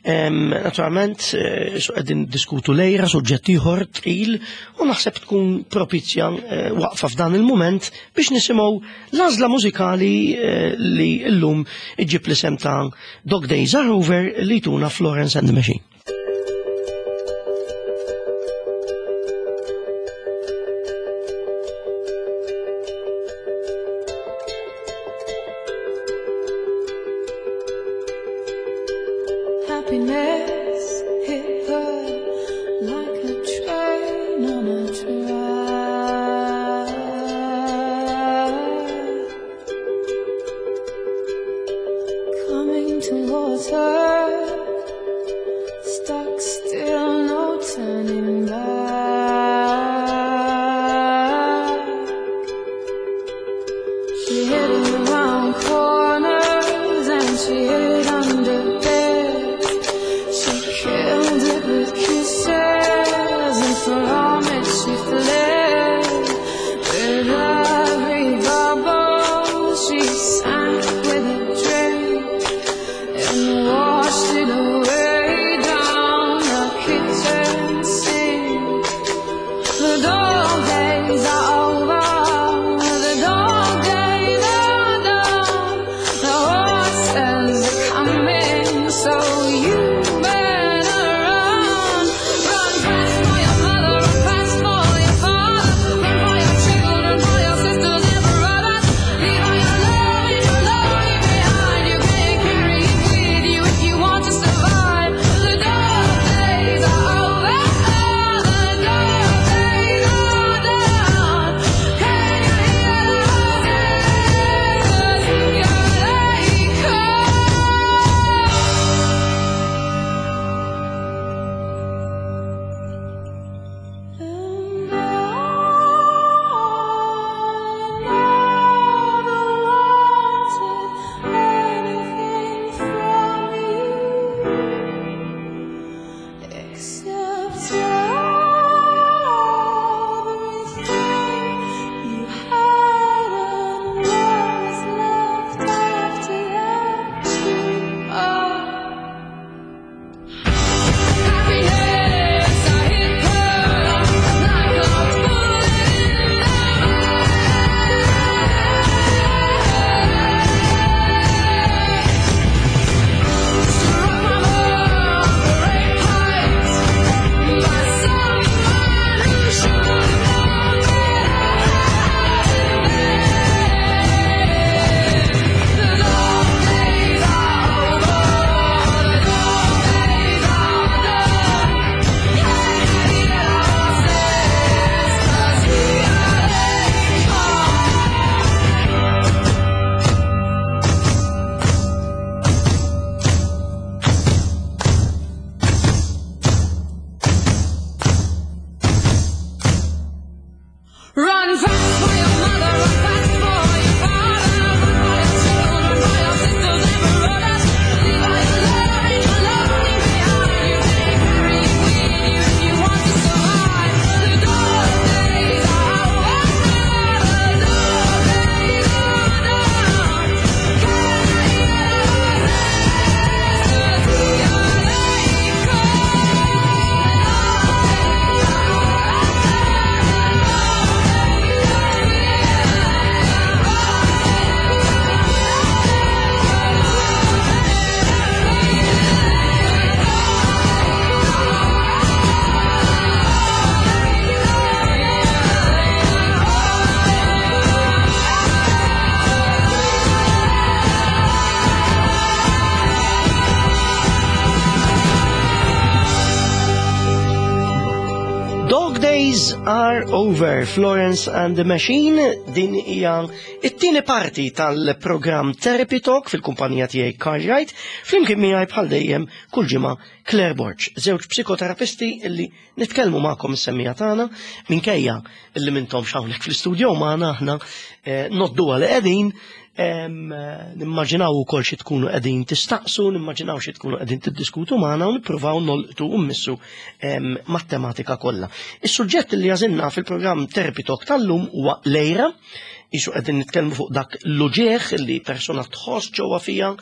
Em, Naturalment, eh, so qegħdin diskutu l-għira, suġġett ieħor tqil, u naħseb tkun propizja eh, waqfa f'dan il-mument biex nisimgħu l-għażla mużikali eh, li llum iġġib l-isem ta' Dog Days Are Over li tuna Florence and the Machine. Happiness hit her like a train on a track. Coming towards her, Dog Days Are Over, Florence and the Machine, din hija it-tieni parti tal-programm Therapy Talk fil-kumpanija tiegħi Carl Wright, flimkien miegħi bħal dejjem kull ġimgħa Claire Borg, żewġ psikoterapisti illi nitkellmu magħkom is-semmiegħa tagħna minkejja illi m'intomx hawnhekk fl-istudio magħna aħna eh, noddu li qegħdin em, eh, nimmaġinaw ukoll xi tkunu qegħdin tistaqsu, nimmaġinaw xi tkunu qegħdin tiddiskutu magħna u nippruvaw nolqtu u mmissu em, mat-tematika kollha. Is-suġġett li għażilna fil-programm Therapy Talk tal-lum huwa l-għira, qisu qegħdin nitkellmu fuq dak l-uġieħ li persuna tħoss ġewwa fija,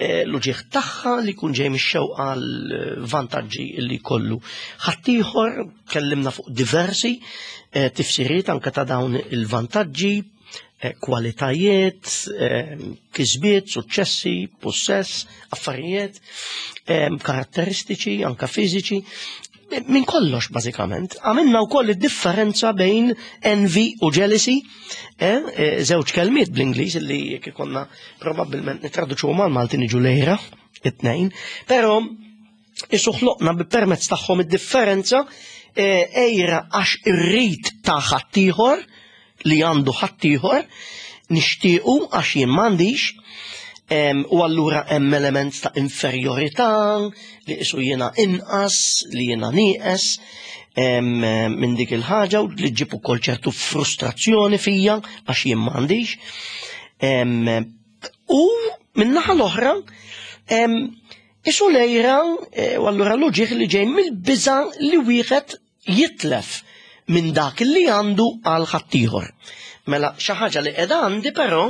eh, l-uġieħ tagħha li jkun ġej mix-xewqa l-vantaġġi li kollu. Ħaddieħor kellimna fuq diversi eh, tifsiriet anke ta' dawn il-vantaġġi, eh, kwalitajiet, eh, kisbiet, suċċessi, possess, affarijiet, eh, karatteristiċi, anka fiżiċi, minn kollox bażikament. Għamilna wkoll id-differenza bejn envy u jealousy, eh, eh, żewġ kelmiet bl-Ingliż li jekk ikonna probabbilment nitraduċu mal-Malti niġu l-għira, it-tnejn, però qisu ħloqna bi permezz tagħhom id-differenza eh, għira għax irrid ta' ħaddieħor li għandu ħaddieħor nixtiequ għax jien m'għandix em, u allura hemm element ta' inferjorità li qisu jiena inqas, li jiena nieqes em, minn dik il-ħaġa u li ġġib ukoll ċertu frustrazzjoni fija għax jien m'għandix. Em, U min-naħa l-oħra, em, qisu l-għira eh, u allura l-uġieħ li ġej mill-biża li wieħed jitlef minn dak li għandu għal ħaddieħor. Mela xi ħaġa li qiegħda għandi però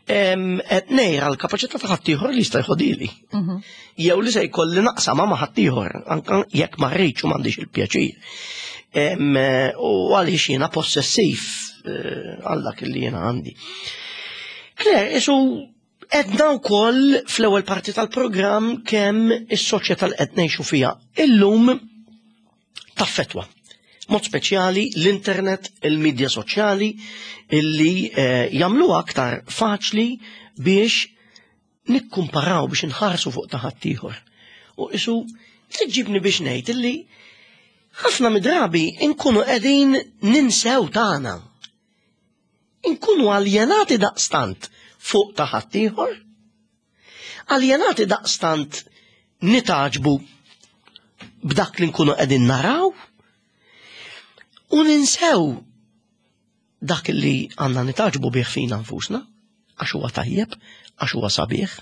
em, qed ngħira l-kapaċità ta' ħaddieħor li jista' jħodili. Jew li se jkolli naqsama ma' ħaddieħor, anke jekk ma rridx u m'għandix il-pjaċir. Em, eh, U għaliex jiena possessiv eh, għal dak li jiena għandi. Claire, qisu għedna wkoll fl-ewwel parti tal-programm kemm is-soċjetà li qed ngħixu fiha illum taffetwa. Mod speċjali l-internet, il-medja soċjali illi eh, jagħmlu aktar faċli biex nikkumparaw biex nħarsu fuq ta' ħaddieħor. U qisu tġibni biex ngħid illi ħafna midrabi nkunu qegħdin ninsew tagħna. Inkunu aljenati daqstant fuq ta' ħaddieħor, aljenati daqstant nitgħaġġbu b'dak li nkunu qegħdin naraw u ninsew dak li għandna nitgħaġġbu bih fina nfusna, għax huwa tajjeb, għax huwa sabiħ.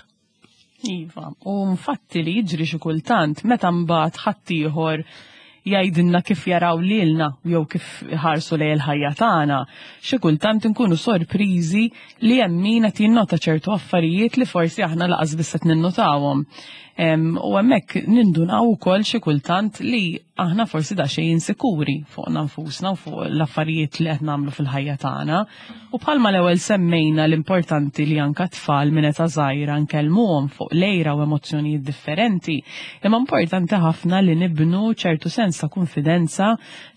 Iva, u infatti li jiġri xi kultant meta mbagħad ħaddieħor jgħidilna kif jaraw lilna jew kif ħarsu lejn il-ħajja tagħna, xi kultant inkunu sorpriżi li hemm min qed jinnota ċertu affarijiet li forsi aħna lanqas biss qed ninnotawhom. Em, U hemmhekk nindunaw ukoll xi kultant li aħna forsi daqsxejn insikuri fuqna nfusna u fuq l-affarijiet li qed nagħmlu fil-ħajja tagħna. U bħalma l-ewwel semmejna l-importanti li anka tfal minn età żgħira nkellmuhom fuq l-għira u emozzjonijiet differenti, imma importanti ħafna li nibnu ċertu sens ta' konfidenza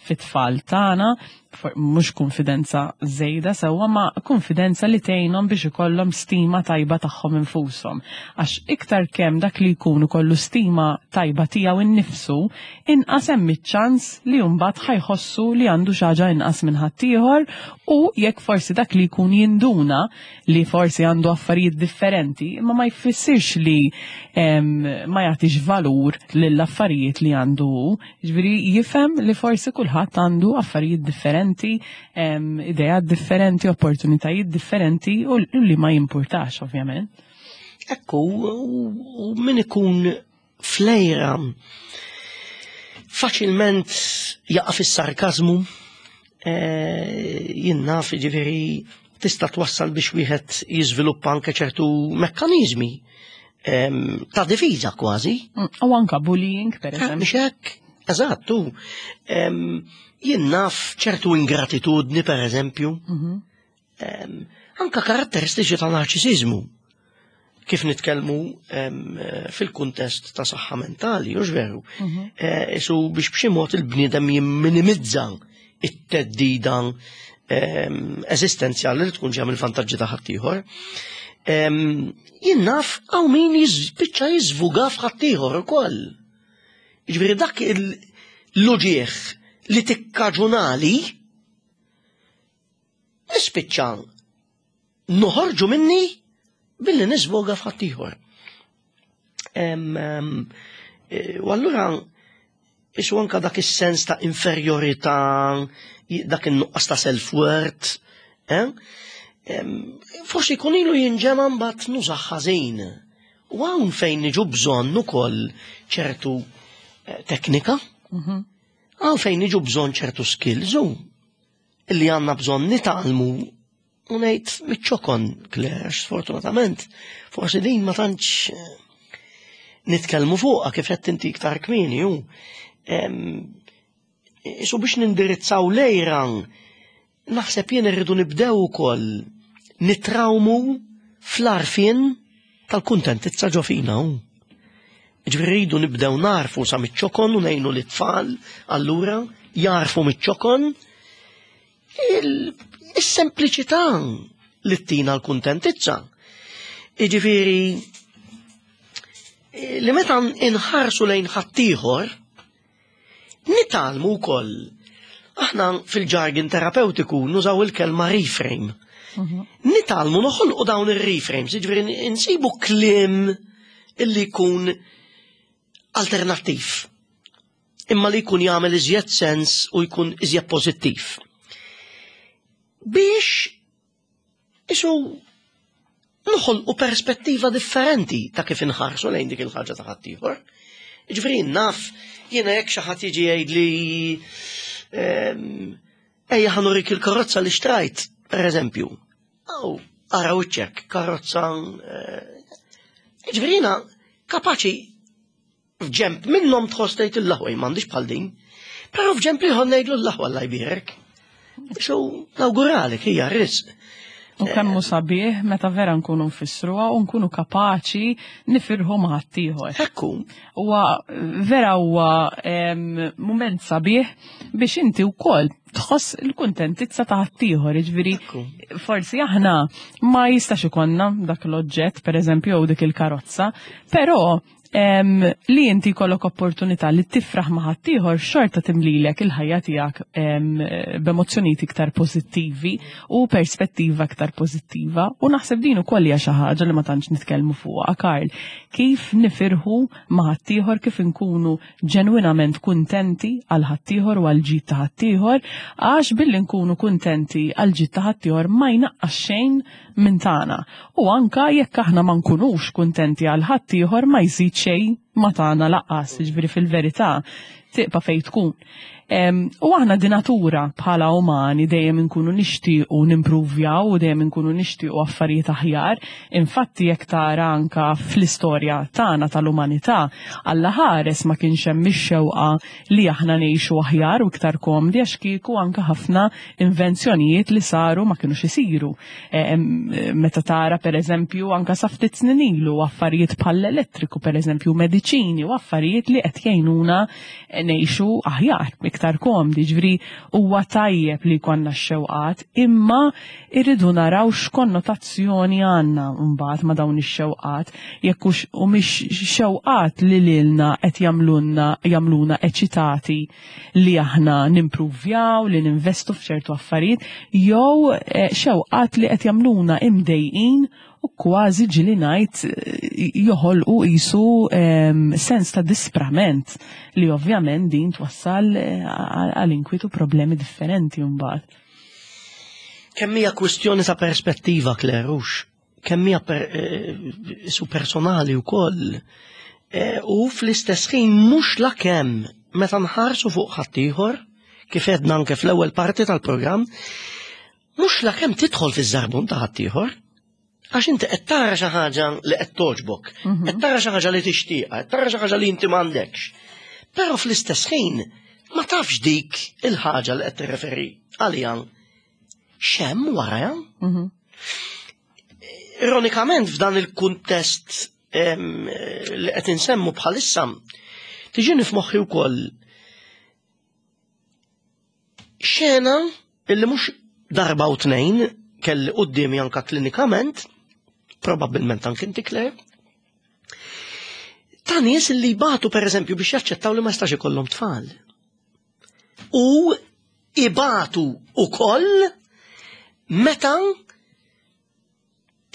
fit-tfal tagħna, for- mhux konfidenza żejda sewwa ma konfidenza li tgħinhom biex ikollhom stima tajba tagħhom infushom. Għax iktar kemm dak li jkunu kollu stima tajba tiegħu innifsu, inqas hemm iċ-ċans li mbagħad ħa jħossu li għandu xi ħaġa inqas minn ħaddieħor u jekk forsi dak li jkun jinduna li forsi għandu affarijiet differenti, imma ma jfissirx li em, ma jagħtix valur lill-affarijiet li għandu hu. Ġifieri jifhem li forsi kulħadd għandu affarijiet differenti, em, ideat differenti, opportunitajiet differenti u u li ma jimpurtax ovvjament. Ekku, u, u min ikun fl-għira faċilment jaqa' fis-sarkazmu, eh, jien naf ġifieri tista' twassal biex wieħed jiżviluppa anke ċertu mekkaniżmi em, ta' difiża kważi. Mm, U anka bullying, per Eh, eżempju. Mhux hekk, eżatt, u em, jien naf ċertu ingratitudni per eżempju, Mhm. em, anka karatteristiċi ta' narċisizmu. Kif nitkellmu em, eh, fil-kuntest ta' saħħa mentali, hux veru. Mhm. Eh, Qisu biex b'xi mod il-bniedem jimminimizza it-theddida em, eżistenzjali li tkun ġeja mill-vantaġġi ta' ħaddieħor. Em, Jien naf hawn min jispiċċa jiżvuga f'ħaddieħor ukoll. Jiġifieri dak il- l-uġieħ li tikkaġunali, nispiċċa noħorġu minni billi nisvoga f'ħaddieħor. U allura isu anka dak is-sens ta' inferjorità, dak in-nuqqas ta' self-worth, eh? Forsi jkun ilu jinġema mbagħad nużah ħażin. U hawn fejn niġu bżonn ukoll ċertu eh, teknika, Mhm. hawn fejn niġu bżonn ċertu skills u illi għandna bżonn nitgħallmu u ngħid miċ-ċokon, Claire, sfortunatament, forsi din ma tantx eh, nitkellmu fuqha kif qed inti iktar kmieni u isu biex nindirizzaw l-għira naħseb jien irridu nibdew ukoll nitrawmu fl-għarfien tal-kuntentizza ġo fina u. Ġifieri rridu nibdew narfu sa miċ-ċokon u ngħinu lit-tfal allura jarfu miċ-ċokon il-sempliċità li ttina l-kuntentizza. Iġifieri li meta inħarsu lejn ħaddieħor nitgħallmu wkoll. Aħna fil-jargon terapeutiku nużaw il-kelma reframe. Nitgħallmu noħolqu dawn ir-reframes, jiġifieri insibu kliem illi jkun alternattiv. Imma li jkun jagħmel iżjed sens u jkun iżjed pożittiv. Biex isu noħolqu perspettiva differenti ta' kif inħarsu lejn dik il-ħaġa ta' ħaddieħor. Ġifieri naf, jiena jekk xi ħadd jiġi jgħidli ehm, ejja ħa nurik il-karozza li xtrajt, per eżempju. Aw, ara wiċċek, karozza. eh, Ġifieri jiena kapaċi f'ġemp minnhom tħoss tgħid il-laħwa m'għandix bħal din. Però f'ġemp ieħor ngħidlu l-laħwa Alla jbierek. So, nawguralek hija risq. U kemm hu sabiħ meta vera nkunu nfissruha u nkunu kapaċi nifirħu ma' ħaddieħor. Ekku, Huwa vera huwa em, mument sabiħ biex inti wkoll tħoss il-kuntentizza ta' ħaddieħor, jiġifieri Ekku. forsi aħna ma jistax ikollna dak l-oġġett, per eżempju, jew dik il-karozza, però em, li inti jkollok opportunità li tifraħ ma' ħaddieħor xorta timlilek il-ħajja tiegħek em, b'emozzjonijiet iktar pożittivi u perspettiva iktar pożittiva u naħseb din ukoll hija xi ħaġa li ma tantx nitkellmu fuqha Karl. Kif nifirħu ma' ħaddieħor, kif inkunu ġenwinament kuntenti għal ħaddieħor u għal ġid ta' ħaddieħor, għax billi nkunu kuntenti għal ġid ta' ħaddieħor ma jnaqqas xejn minn tagħna. U anka jekk aħna ma nkunux kuntenti għal ħaddieħor ma jżid xejn ma tagħna lanqas, jiġifieri fil-verità tibqa' fejn tkun. Em, U aħna di natura bħala umani dejjem inkunu nixtiequ nimpruvjaw u dejjem inkunu nixtiequ affarijiet aħjar. Infatti jekk tara anka fl-istorja tagħna tal-umanità, Alla ħares ma kienx hemm ix-xewqa li aħna ngħixu aħjar u iktar komdi għax kieku anka ħafna invenzjonijiet li saru ma kinux isiru. Em, Meta tara per eżempju anka sa ftit snin ilu affarijiet bħall-elettriku per eżempju mediċini u affarijiet li qed jgħinuna ngħixu aħjar, iktar komdi, ġifieri huwa tajjeb li jkollna x-xewqat, imma irridu naraw x'konnotazzjoni għandna mbagħad ma' dawn ix-xewqat, jekk hux u mhix xewqat li lilna qed jagħmlulna jagħmluna eċitati li aħna nimpruvjaw, li ninvestu f'ċertu affarijiet, jew eh, xewqat li qed jagħmluna imdejqin u kważi ġieli ngħid eh, joħolqu qisu em, sens ta' disprament li ovvjament din twassal eh, għal inkwitu problemi differenti mbagħad. Kemm hija kwistjoni ta' perspettiva, Claire, hux? Kemm hija per, eh, su personali wkoll. Eh, U fl-istess ħin mhux la kemm meta nħarsu fuq ħaddieħor, kif għedna anke fl-ewwel parti tal-programm, mhux la kemm tidħol fiż-żarbun ta' ħaddieħor, għax inti qed tara xi ħaġa li qed togħġbok, qed tara xi ħaġa li tixtieqha, qed tara xi ħaġa li inti m'għandekx. Però fl-istess ħin ma tafx dik il-ħaġa li qed tirreferi għalija x'hemm wara. Mhm. Ironikament f'dan il-kuntest em, li qed insemmu bħalissa tiġini f'moħħi wkoll xena illi mhux darba u tnejn kelli quddiemi anka klinikament, probabbilment anke inti Claire, ta' nies li jbatu per eżempju biex jaċċettaw li ma jistax ikollhom tfal. U ibatu ukoll meta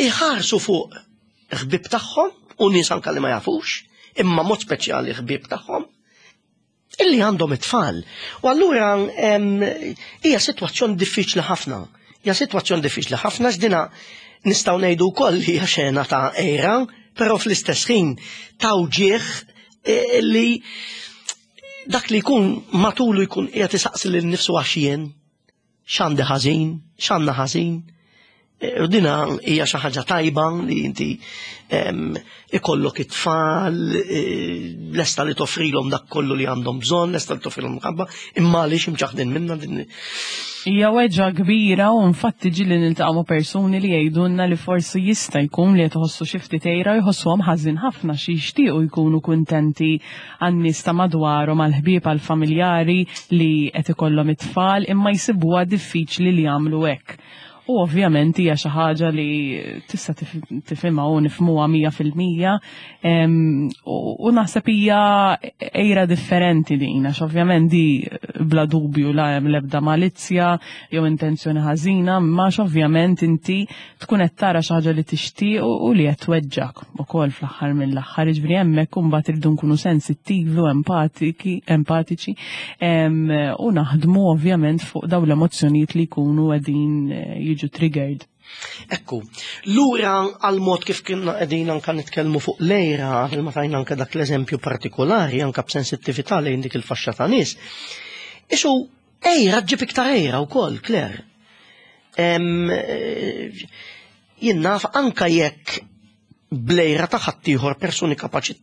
iħarsu fuq ħbib tagħhom u nies anka li ma jafux, imma mod speċjali ħbib tagħhom, illi għandhom it-tfal. U allura hija sitwazzjoni diffiċli ħafna. Hija sitwazzjoni diffiċli ħafna x'dina nistgħu ngħidu wkoll li hija xena ta' għira, però fl-istess ħin ta' wġieħ e, li dak li jkun matulu jkun qiegħed isaqsi lil nifsu għax jien, x'għandi ħażin, x'għandna ħażin. E, u dina hija xi ħaġa tajba li inti ikollok it-tfal, e, lesta li toffrilhom dak kollu li għandhom bżonn, lesta li toffrilhom mħabba, imma għaliex imċaħdin minna din. Hija weġgħa kbira u infatti ġieli niltaqgħu ma' persuni li jgħidulna li forsi jista' jkun li qed iħossu xi ftit għira, jħossuhom ħażin ħafna xi jixtiequ jkunu kuntenti għan-nies ta' madwarhom, għall-ħbieb, għall-familjari li qed ikollhom it-tfal, imma jsibuha diffiċli li jagħmlu hekk. U ovvjament hija xi ħaġa li tista' tifhimha u nifhmuha mija fil-mija. U naħseb hija għira differenti din, għax ovvjament di bla dubju la hemm l-ebda malizzja jew intenzjoni ħażina, imma ovvjament inti tkun qed tara xi ħaġa li tixtieq u li qed tweġġak ukoll fl-aħħar mill-aħħar. Jiġifieri hemmhekk imbagħad irridu nkunu sensittivi u empatiki, empatiċi u naħdmu ovvjament fuq dawn l-emozzjonijiet li jkunu qegħdin jiġu triggered. Ekku, lura għal mod kif kienna qegħdin anka nitkellmu fuq l-għira, ma tajna anka dak l-eżempju partikolari, anka b'sensittività lejn dik il-faxxa ta' nies. Isu, għira ġġib iktar għira wkoll, Claire. Jien naf anka jekk bl-għira ta' ħaddieħor persuni kapaċi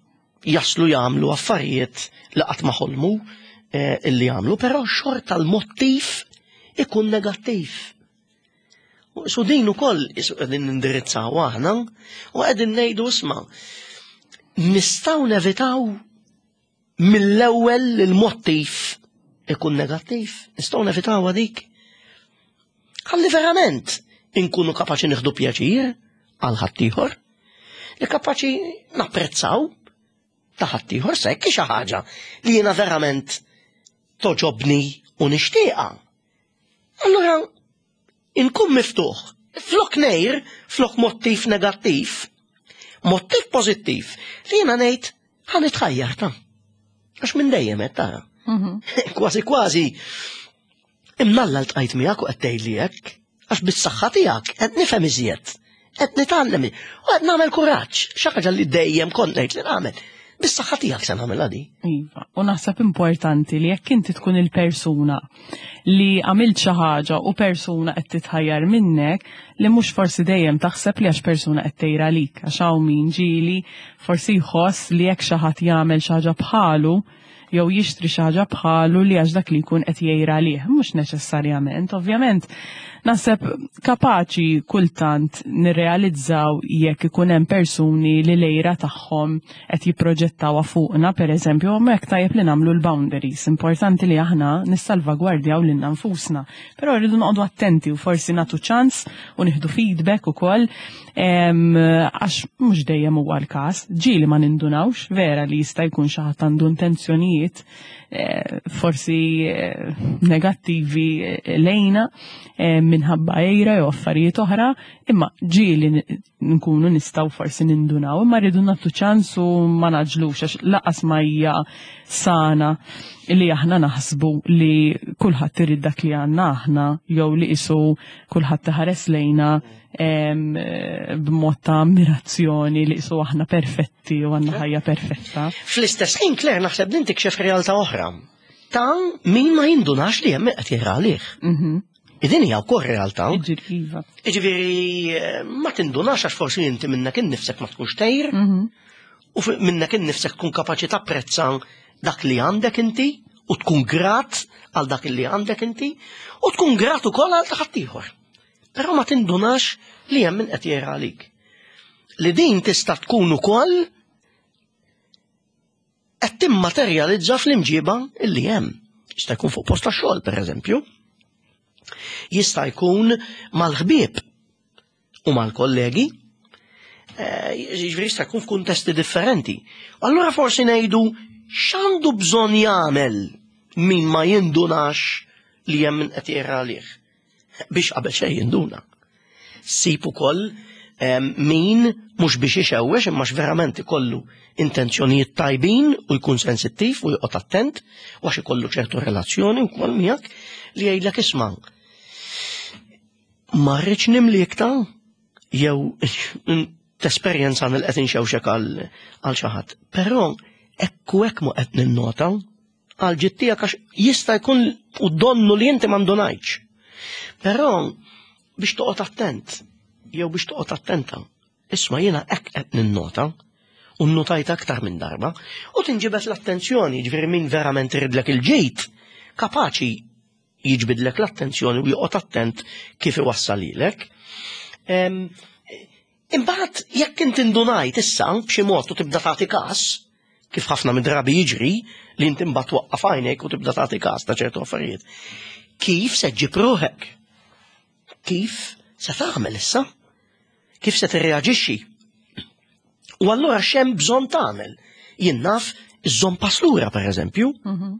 jaslu jagħmlu affarijiet li qatt ma ħolmu eh, illi jagħmlu, però xorta l-mottiv ikun negattiv. So din ukoll qegħdin nindirizzaw aħna u qegħdin ngħidu isma' nistgħu nevitaw mill-ewwel il-mottiv ikun negattiv, nistgħu nevitaw dik. Ħalli verament inkunu kapaċi nieħdu pjaċir għal ħaddieħor, li kapaċi napprezzaw ta' ħaddieħor sekk xi ħaġa li jiena verament toġobni u nixtieqha. Allura inkun miftuħ, flok ngħir, flok mottiv negattiv, mottiv pożittiv li jiena ngħid ħa nitħajjar ta' għax minn dejjem qed tara. Mhm. Kważi kważi imnalla ltqajt miegħek u qed tgħidli hekk, għax bis-saħħa tiegħek qed nifhem iżjed, qed nitgħallem u qed nagħmel kuraġġ, xi ħaġa li dejjem kont ngħid li nagħmel. Bis-saħħa tiegħek se nagħmilha di. Iva, u naħseb importanti li jekk inti tkun il-persuna li għamilt xi ħaġa u persuna qed titħajjar minnek, li mhux forsi dejjem taħseb li għax persuna qed tgħir għalik, għax hawn min ġieli forsi jħoss li jekk xi ħadd jagħmel xi ħaġa bħalu jew jixtri xi ħaġa bħalu li għax dak li jkun qed jgħir għalih, mhux neċessarjament. Ovvjament, naħseb kapaċi kultant nirrealizzaw jekk ikun hemm persuni li l-għira tagħhom qed jipproġettawha fuqna, pereżempju, ma hekk tajjeb li nagħmlu l-boundaries. Importanti li aħna nissalvagwardjaw lilna nfusna. Però rridu noqogħdu attenti u forsi nagħtu ċans u nieħdu feedback ukoll, għax mhux dejjem huwa l-każ. Ġieli ma nindunawx, vera li jista' jkun xi ħadd għandu intenzjonijiet eh, forsi eh, negattivi eh, lejna minħabba għira jew affarijiet oħra, imma ġieli nkunu nistgħu forsi nindunaw, imma rridu nagħtu ċans u ma naġlux għax laqas ma hija sana li aħna naħsbu li kulħadd irid dak li għandna aħna jew li qisu kulħadd iħares lejna b'mod ta' ammirazzjoni li qisu aħna perfetti u għandna ħajja perfetta. Fl-istess ħin, Claire, naħseb din tikxef realtà oħra. Ta' min ma jindunax li hemm qed jgħir għalih. Mhm. Din hija wkoll realtà. Iġifieri, iva. Jiġifieri ma tindunax għax forsi inti minnek innifsek ma tkunx tgħir Mhm. u minnek innifsek tkun kapaċi tapprezza dak li għandek inti u tkun grat għal dak li għandek inti u tkun grat ukoll għal ta' ħaddieħor. Però ma tindunax li hemm min qed jgħir għalik. Li din tista' tkun ukoll qed timmaterjalizza fl-imġiba illi hemm. Jista' jkun fuq post tax-xogħol, pereżempju. Jista' jkun mal-ħbieb u mal-kollegi. Eh, jiġifieri jista' jkun f'kuntesti differenti. Allura forsi ngħidu x'għandu bżonn jagħmel Min ma jindunax li hemm min qed jgħir għalih. Biex qabel xejn jinduna. Ssib ukoll min mhux biex ixewwex imma verament ikollu intenzjonijiet tajbin u jkun sensittiv u joqgħod attent u għax ikollu ċertu relazzjoni wkoll miegħek li jgħidlek: "Isma', ma rridx nimlik ta' jew tesperjenza nil qed inxewxek għal xi ħadd. Però ekku hekk mu qed ninnota għal ġittijak għax jista' jkun u donnu li inti m'indunajtx. Però biex toqgħod attent, jew biex toqgħod attenta. Isma', jiena hekk qed ninnota, u nnotajt aktar minn darba, u tinġibet l-attenzjoni, ġifieri min verament iridlek il-ġejt, kapaċi jiġbidlek l-attenzjoni u joqgħod attent kif iwassalilek. Imbagħad jekk inti ndunajt issa b'xi mod u tibda tagħti każ, kif ħafna mid-drabi jiġri li inti mbagħad twaqqaf għajnek u tibda tagħti każ ta' ċertu affarijiet. Kif se ġġib ruħek? Kif se tagħmel issa? Kif se tirreaġixxi? U allura x'hemm bżonn tagħmel? Jien naf, iżżomm pass lura, pereżempju. Mhm.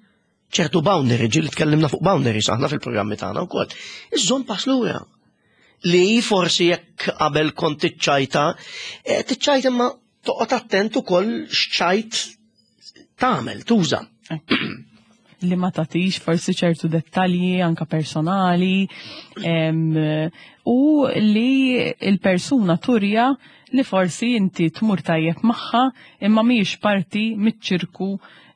Ċertu boundary, ġieli tkellimna fuq boundaries aħna fil-programmi tagħna wkoll. Iżżomm pass lura. Li forsi jekk qabel kont tiċċajta, eh, tiċċajta imma toqgħod attent ukoll x'ċajt tagħmel, tuża. Li ma tatix forsi ċertu dettalji anka personali em, u li il-persuna turja li forsi inti tmur tajjeb magħha imma mhijiex parti miċ-ċirku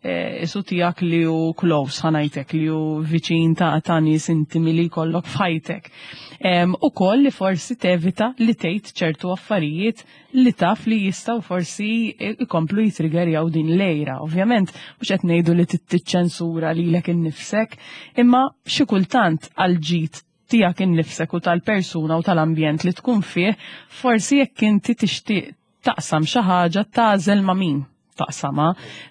eh, isu tiegħek li hu close, ħa ngħidlek, li hu viċin ta' ta' nies intimi li jkollok f'ħajtek. U koll li forsi tevita li tgħid ċertu affarijiet li taf li jistgħu forsi ikomplu jitriggerjaw din l-għira. Ovvjament, mhux qed ngħidu li tiċċensura lilek innifsek, imma xi kultant għal ġid tiegħek innifsek u tal-persuna u tal-ambjent li tkun fih, forsi jekk inti tixtieq taqsam xi ħaġa, tagħżel ma' min taqsama,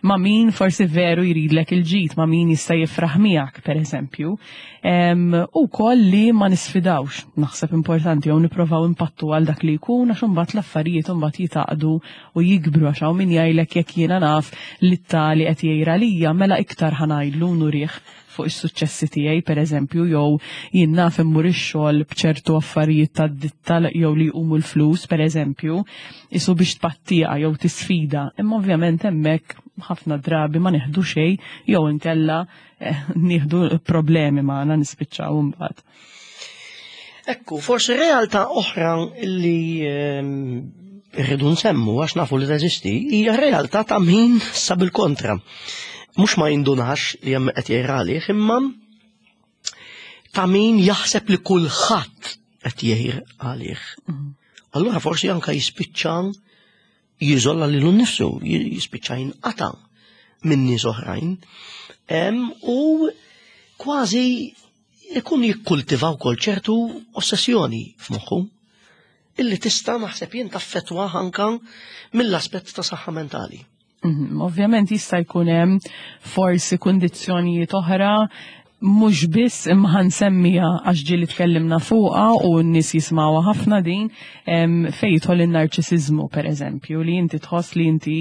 ma' min forsi veru jridlek il-ġid, ma' min jista' jifraħ miegħek, per eżempju. U koll li ma nisfidawx, naħseb importanti, jew nipprovaw impattu għal dak li jkun, għax imbagħad l-affarijiet imbagħad jitaqdu u jikbru, għax hawn min jgħidlek: "Jekk jiena naf li t-tali qed jgħira lija, mela iktar ħa ngħidlu, nurih fuq is-suċċessi tiegħi", pereżempju, jew jien naf immur ix-xogħol b'ċertu affarijiet tad-ditta jew li jqumu l-flus, pereżempju, isu biex tpattija jew tisfida. Imma ovvjament hemmhekk ħafna drabi ma nieħdu xejn jew inkella eh, nieħdu problemi magħna nispiċċaw imbagħad. Ekku, forsi realtà oħra li ehm, rridu nsemmu għax nafu li teżisti hija realtà ta' min sab il-kontra. Mhux ma jindunax li hemm qed jgħir għalih, imma ta' min jaħseb li kulħadd qed jgħir għalih. Mhm. Allura forsi anka jispiċċa jiżola lilu nnifsu, jispiċċa jinqata' minn nies oħrajn. U kważi ikun jikkultiva wkoll ċertu ossessjoni f'moħħu illi tista', naħseb jien, taffettwa anka mill-aspett ta' saħħa mentali. Mhm, ovvjament jista' jkun hemm forsi kundizzjonijiet oħra, mhux biss, imma ħa nsemmiha għax ġieli tkellimna fuqha u n-nies jismawha ħafna din, fejn jidħol in-narċisiżmu, pereżempju, li inti tħoss li inti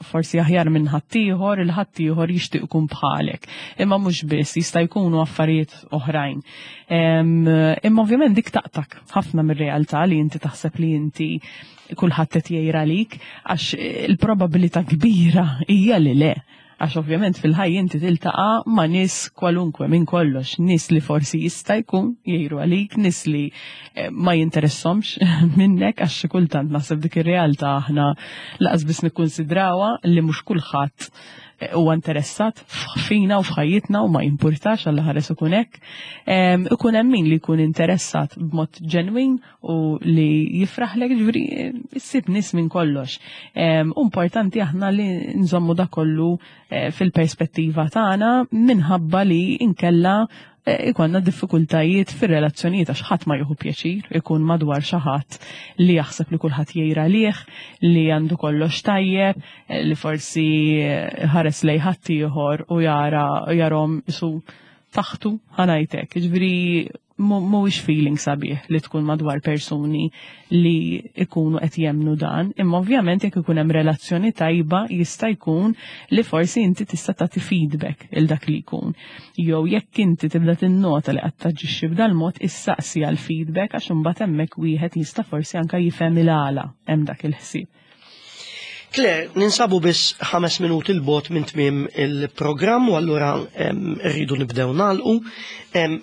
forsi aħjar minn ħaddieħor, il-ħaddieħor jixtieq ikun bħalek. Imma mhux biss, jista' jkunu affarijiet oħrajn. Imma ovvjament dik taqtak ħafna mir-realtà li inti taħseb li inti kulħadd qed jgħir għalik, għax il-probabilità kbira hija li le, għax ovvjament fil-ħajja inti tiltaqa' ma' nies kwalunkwe minn kollox, nies li forsi jista' jkun jgħiru għalik, nies li eh, ma jinteressomx minnek, għax xi kultant naħseb dik ir-realtà aħna lanqas biss nikkunsidrawha, li mhux kulħadd eh, huwa interessat fina u f'ħajjitna u ma jimpurtax għal ħares ikun hekk. Ikun hemm min li jkun interessat b'mod ġenwin u li jifraħlek, ġifieri issib nies minn kollox. Importanti aħna li nżommu da kollu eh, fil-perspettiva tagħna minħabba li inkella eh, ikonna diffikultajiet fir-relazzjonijiet, għax ħadd ma jieħu pjaċir ikun madwar xi ħadd li jaħseb li kulħadd jgħir għalih, li għandu kollox tajjeb, eh, li forsi ħares lejn ħadd ieħor u jara jarhom isu taħtu, ħa ngħidlek. Ġifieri Mhuwiex feeling sabiħ li tkun madwar persuni li ikunu qed jemnu dan, imma ovvjament jekk ikun hemm relazzjoni tajba jista' jkun li forsi inti tista' tagħti feedback il dak li jkun. Jew jekk inti tibda tinnota li qed taġixxi b'dal-mod, issaqsi għal feedback, għax imbagħad hemmhekk wieħed jista' forsi anke jifhem il-għala hemm dak il-ħsieb. Claire, ninsabu biss ħames minuti 'l bogħod minn tmiem il-programm u allura rridu nibdew nagħlqu.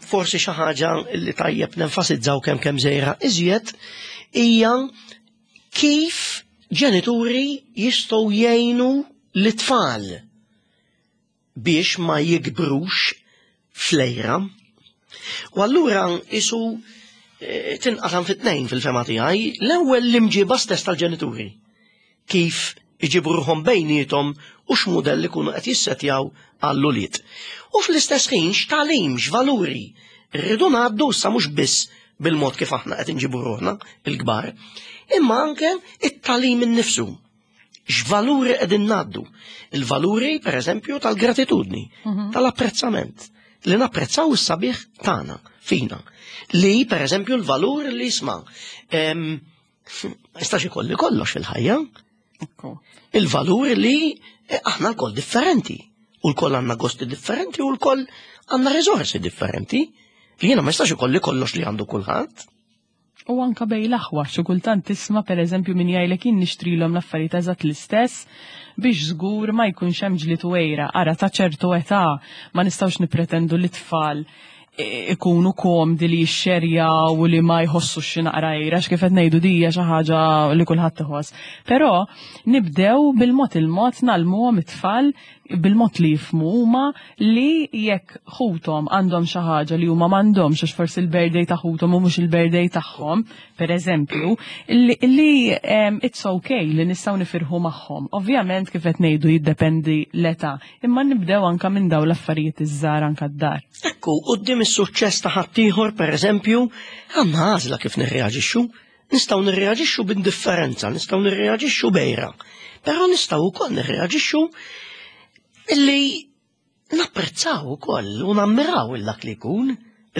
Forsi xi ħaġa li tajjeb nenfasizzaw kemm kemm żejra iżjed hija kif ġenituri jistgħu jgħinu l-tfal biex ma jikbrux fl-għira. U allura isu eh, tinqasam fit-tnejn fil-fehma tiegħi, l-ewwel l-imġiba stess tal-ġenituri. Kif iġibu ruħhom bejniethom u x'mudell ikunu qed jissetjaw għall-ulied. U fl-istess ħin x'tagħlim, x'valuri rridu ngħaddu sa mhux biss bil-mod kif aħna qed inġibu ruħna il-kbar, imma anke it-tagħlim innifsu. X'valuri qegħdin ngħaddu? Il-valuri, per eżempju, tal-gratitudni, mhm. tal-apprezzament, li napprezzaw is-sabiħ tagħna fina. Li, per eżempju, l-valur li jisma' ma jistax ikolli kollox fil-ħajja. Il-valur li eh, aħna lkoll differenti. U lkoll għandna gosti differenti u lkoll għandna riżorsi differenti. Li jiena ma jistax ikolli kollox li għandu kulħadd. U anka bejn l-aħwa, xi kultant tisma' pereżempju min jgħidlek, "Jien nixtrilhom l-affarijiet eżatt l-istess biex żgur ma jkunx hemm ġlied u għira." Ara, ta' ċertu età ma nistgħux nippretendu li tfal ikunu komdi li jixxerjaw u li ma jħossu xi naqra għira, kif qed ngħidu dija xi ħaġa li kulħadd iħoss. Però nibdew bil-mod il-mod ngħallmuhom it-tfal bil-mod li jifhmu huma li jekk ħuthom għandhom xi ħaġa li huma m'għandhomx, għax forsi il-birthday ta' ħuthom u mhux il-birthday tagħhom, pereżempju, li, li um, it's okay li nistgħu nifirħu magħhom. Ovvjament, kif qed ngħidu, jiddependi l-età, imma nibdew anka minn dawn l-affarijiet iż-żgħar anka d-dar. Ekku, quddiem is-suċċess ta' ħaddieħor, pereżempju, għandna għażla kif nirreaġixxu. Nistgħu nirreaġixxu b'indifferenza, nistgħu nirreaġixxu b'għira. Però nistgħu wkoll nirreaġixxu illi napprezzaw ukoll u nammiraw il dak li jkun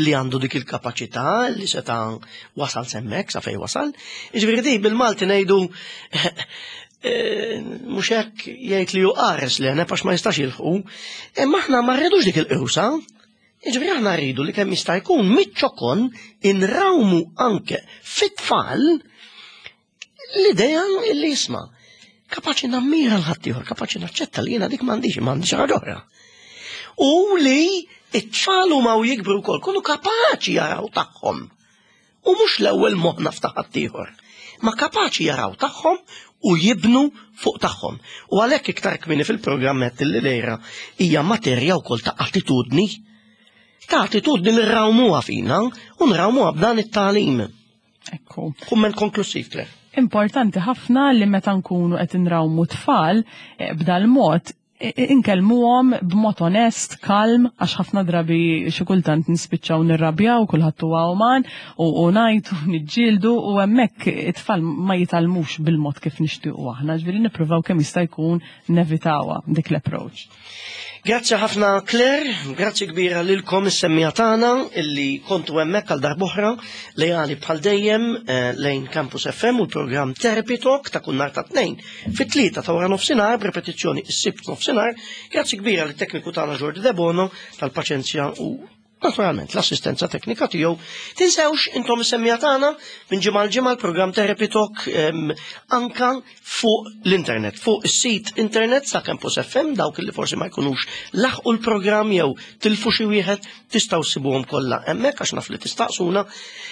li għandu dik il-kapaċità li seta' wasal s'hemmhekk sa fej wasal. Jiġifieri di bil-Malti ngħidu, eh, mhux hekk, jgħid li hu qares li għax ma jistax jilħqu, imma aħna ma rridux dik il-qrusa. Jiġifieri aħna rridu li kemm jista' jkun miċ-ċokon inrawmu anke fit-tfal l-idea li jisma' kapaċi nammira l-ħaddieħor, kapaċi naċċetta li jiena dik m'għandix, m'għandix ħaġa oħra. U li it-tfal huma u jikbru wkoll kunu kapaċi jaraw tagħhom. U mhux l-ewwel moħħna f'ta' ħaddieħor, ma kapaċi jaraw tagħhom u jibnu fuq tagħhom. U għalhekk iktar kmieni fil-programm li l-għira hija materja wkoll ta' attitudni. Ta' attitudni li nrawmuha fina u nrawmuha b'dan it-tagħlim. Ekku. Kumment konklusiv, Claire. Importanti ħafna li meta nkunu qed inrawmu tfal eh, b'dal-mod inkellmuhom b'mod onest, kalm, għax ħafna drabi xi kultant nispiċċaw nirrabjaw, kulħadd huwa uman u, u ngħidu, niġġieldu u hemmhekk it-tfal ma jitgħallmux bil-mod kif nixtiequ aħna, ġifieri nippruvaw kemm jista' jkun nevitawha dik l-approach. Grazzi ħafna, Claire, grazzi kbira lilkom is-semmiegħa tagħna illi kontu hemmhekk għal darb'oħra lejali bħal dejjem eh, lejn Campus F M u l-programm Therapy Talk ta' kull nhar ta' Tnejn fit-tlieta ta' wara nofsinhar, b'repetizzjoni is-Sibt nofsinhar. Grazzi kbira lit-tekniku tagħna Jordi Debono tal-paċenzja u naturalment l-assistenza teknika tiegħu. Tinsewx intom is-semmiegħa tagħna, minn ġimgħa l ġimgħa l-programm Therapy Talk em, anka fuq l-internet, fuq is-sit internet sa Campus F M, dawk li forsi ma jkunux laħqu l-programm jew tilfu xi wieħed, tistgħu ssibuhom kollha hemmhekk għax naf li tistaqsuna.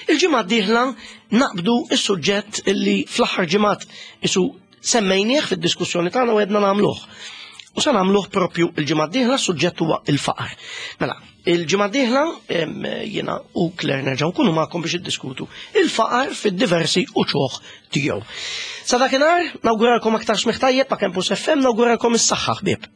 Il-ġimgħa d-dieħla naqbdu is-suġġett illi fl-aħħar ġimgħat isu semmejnieh fid-diskussjoni tagħna u għedna nagħmluh. U sa nagħmluh propju il-ġimgħa d-dieħla, suġġett huwa il-faqar. Mela, il-ġimgħa d-dieħla jiena u Claire nerġgħu nkunu magħkom biex iddiskutu il-faqar fid-diversi uċuħ tiegħu. Sa dakinhar nawguralkom aktar smigħ tajjeb ma' Campus F M, nawguralkom is-saħħa, ħbieb.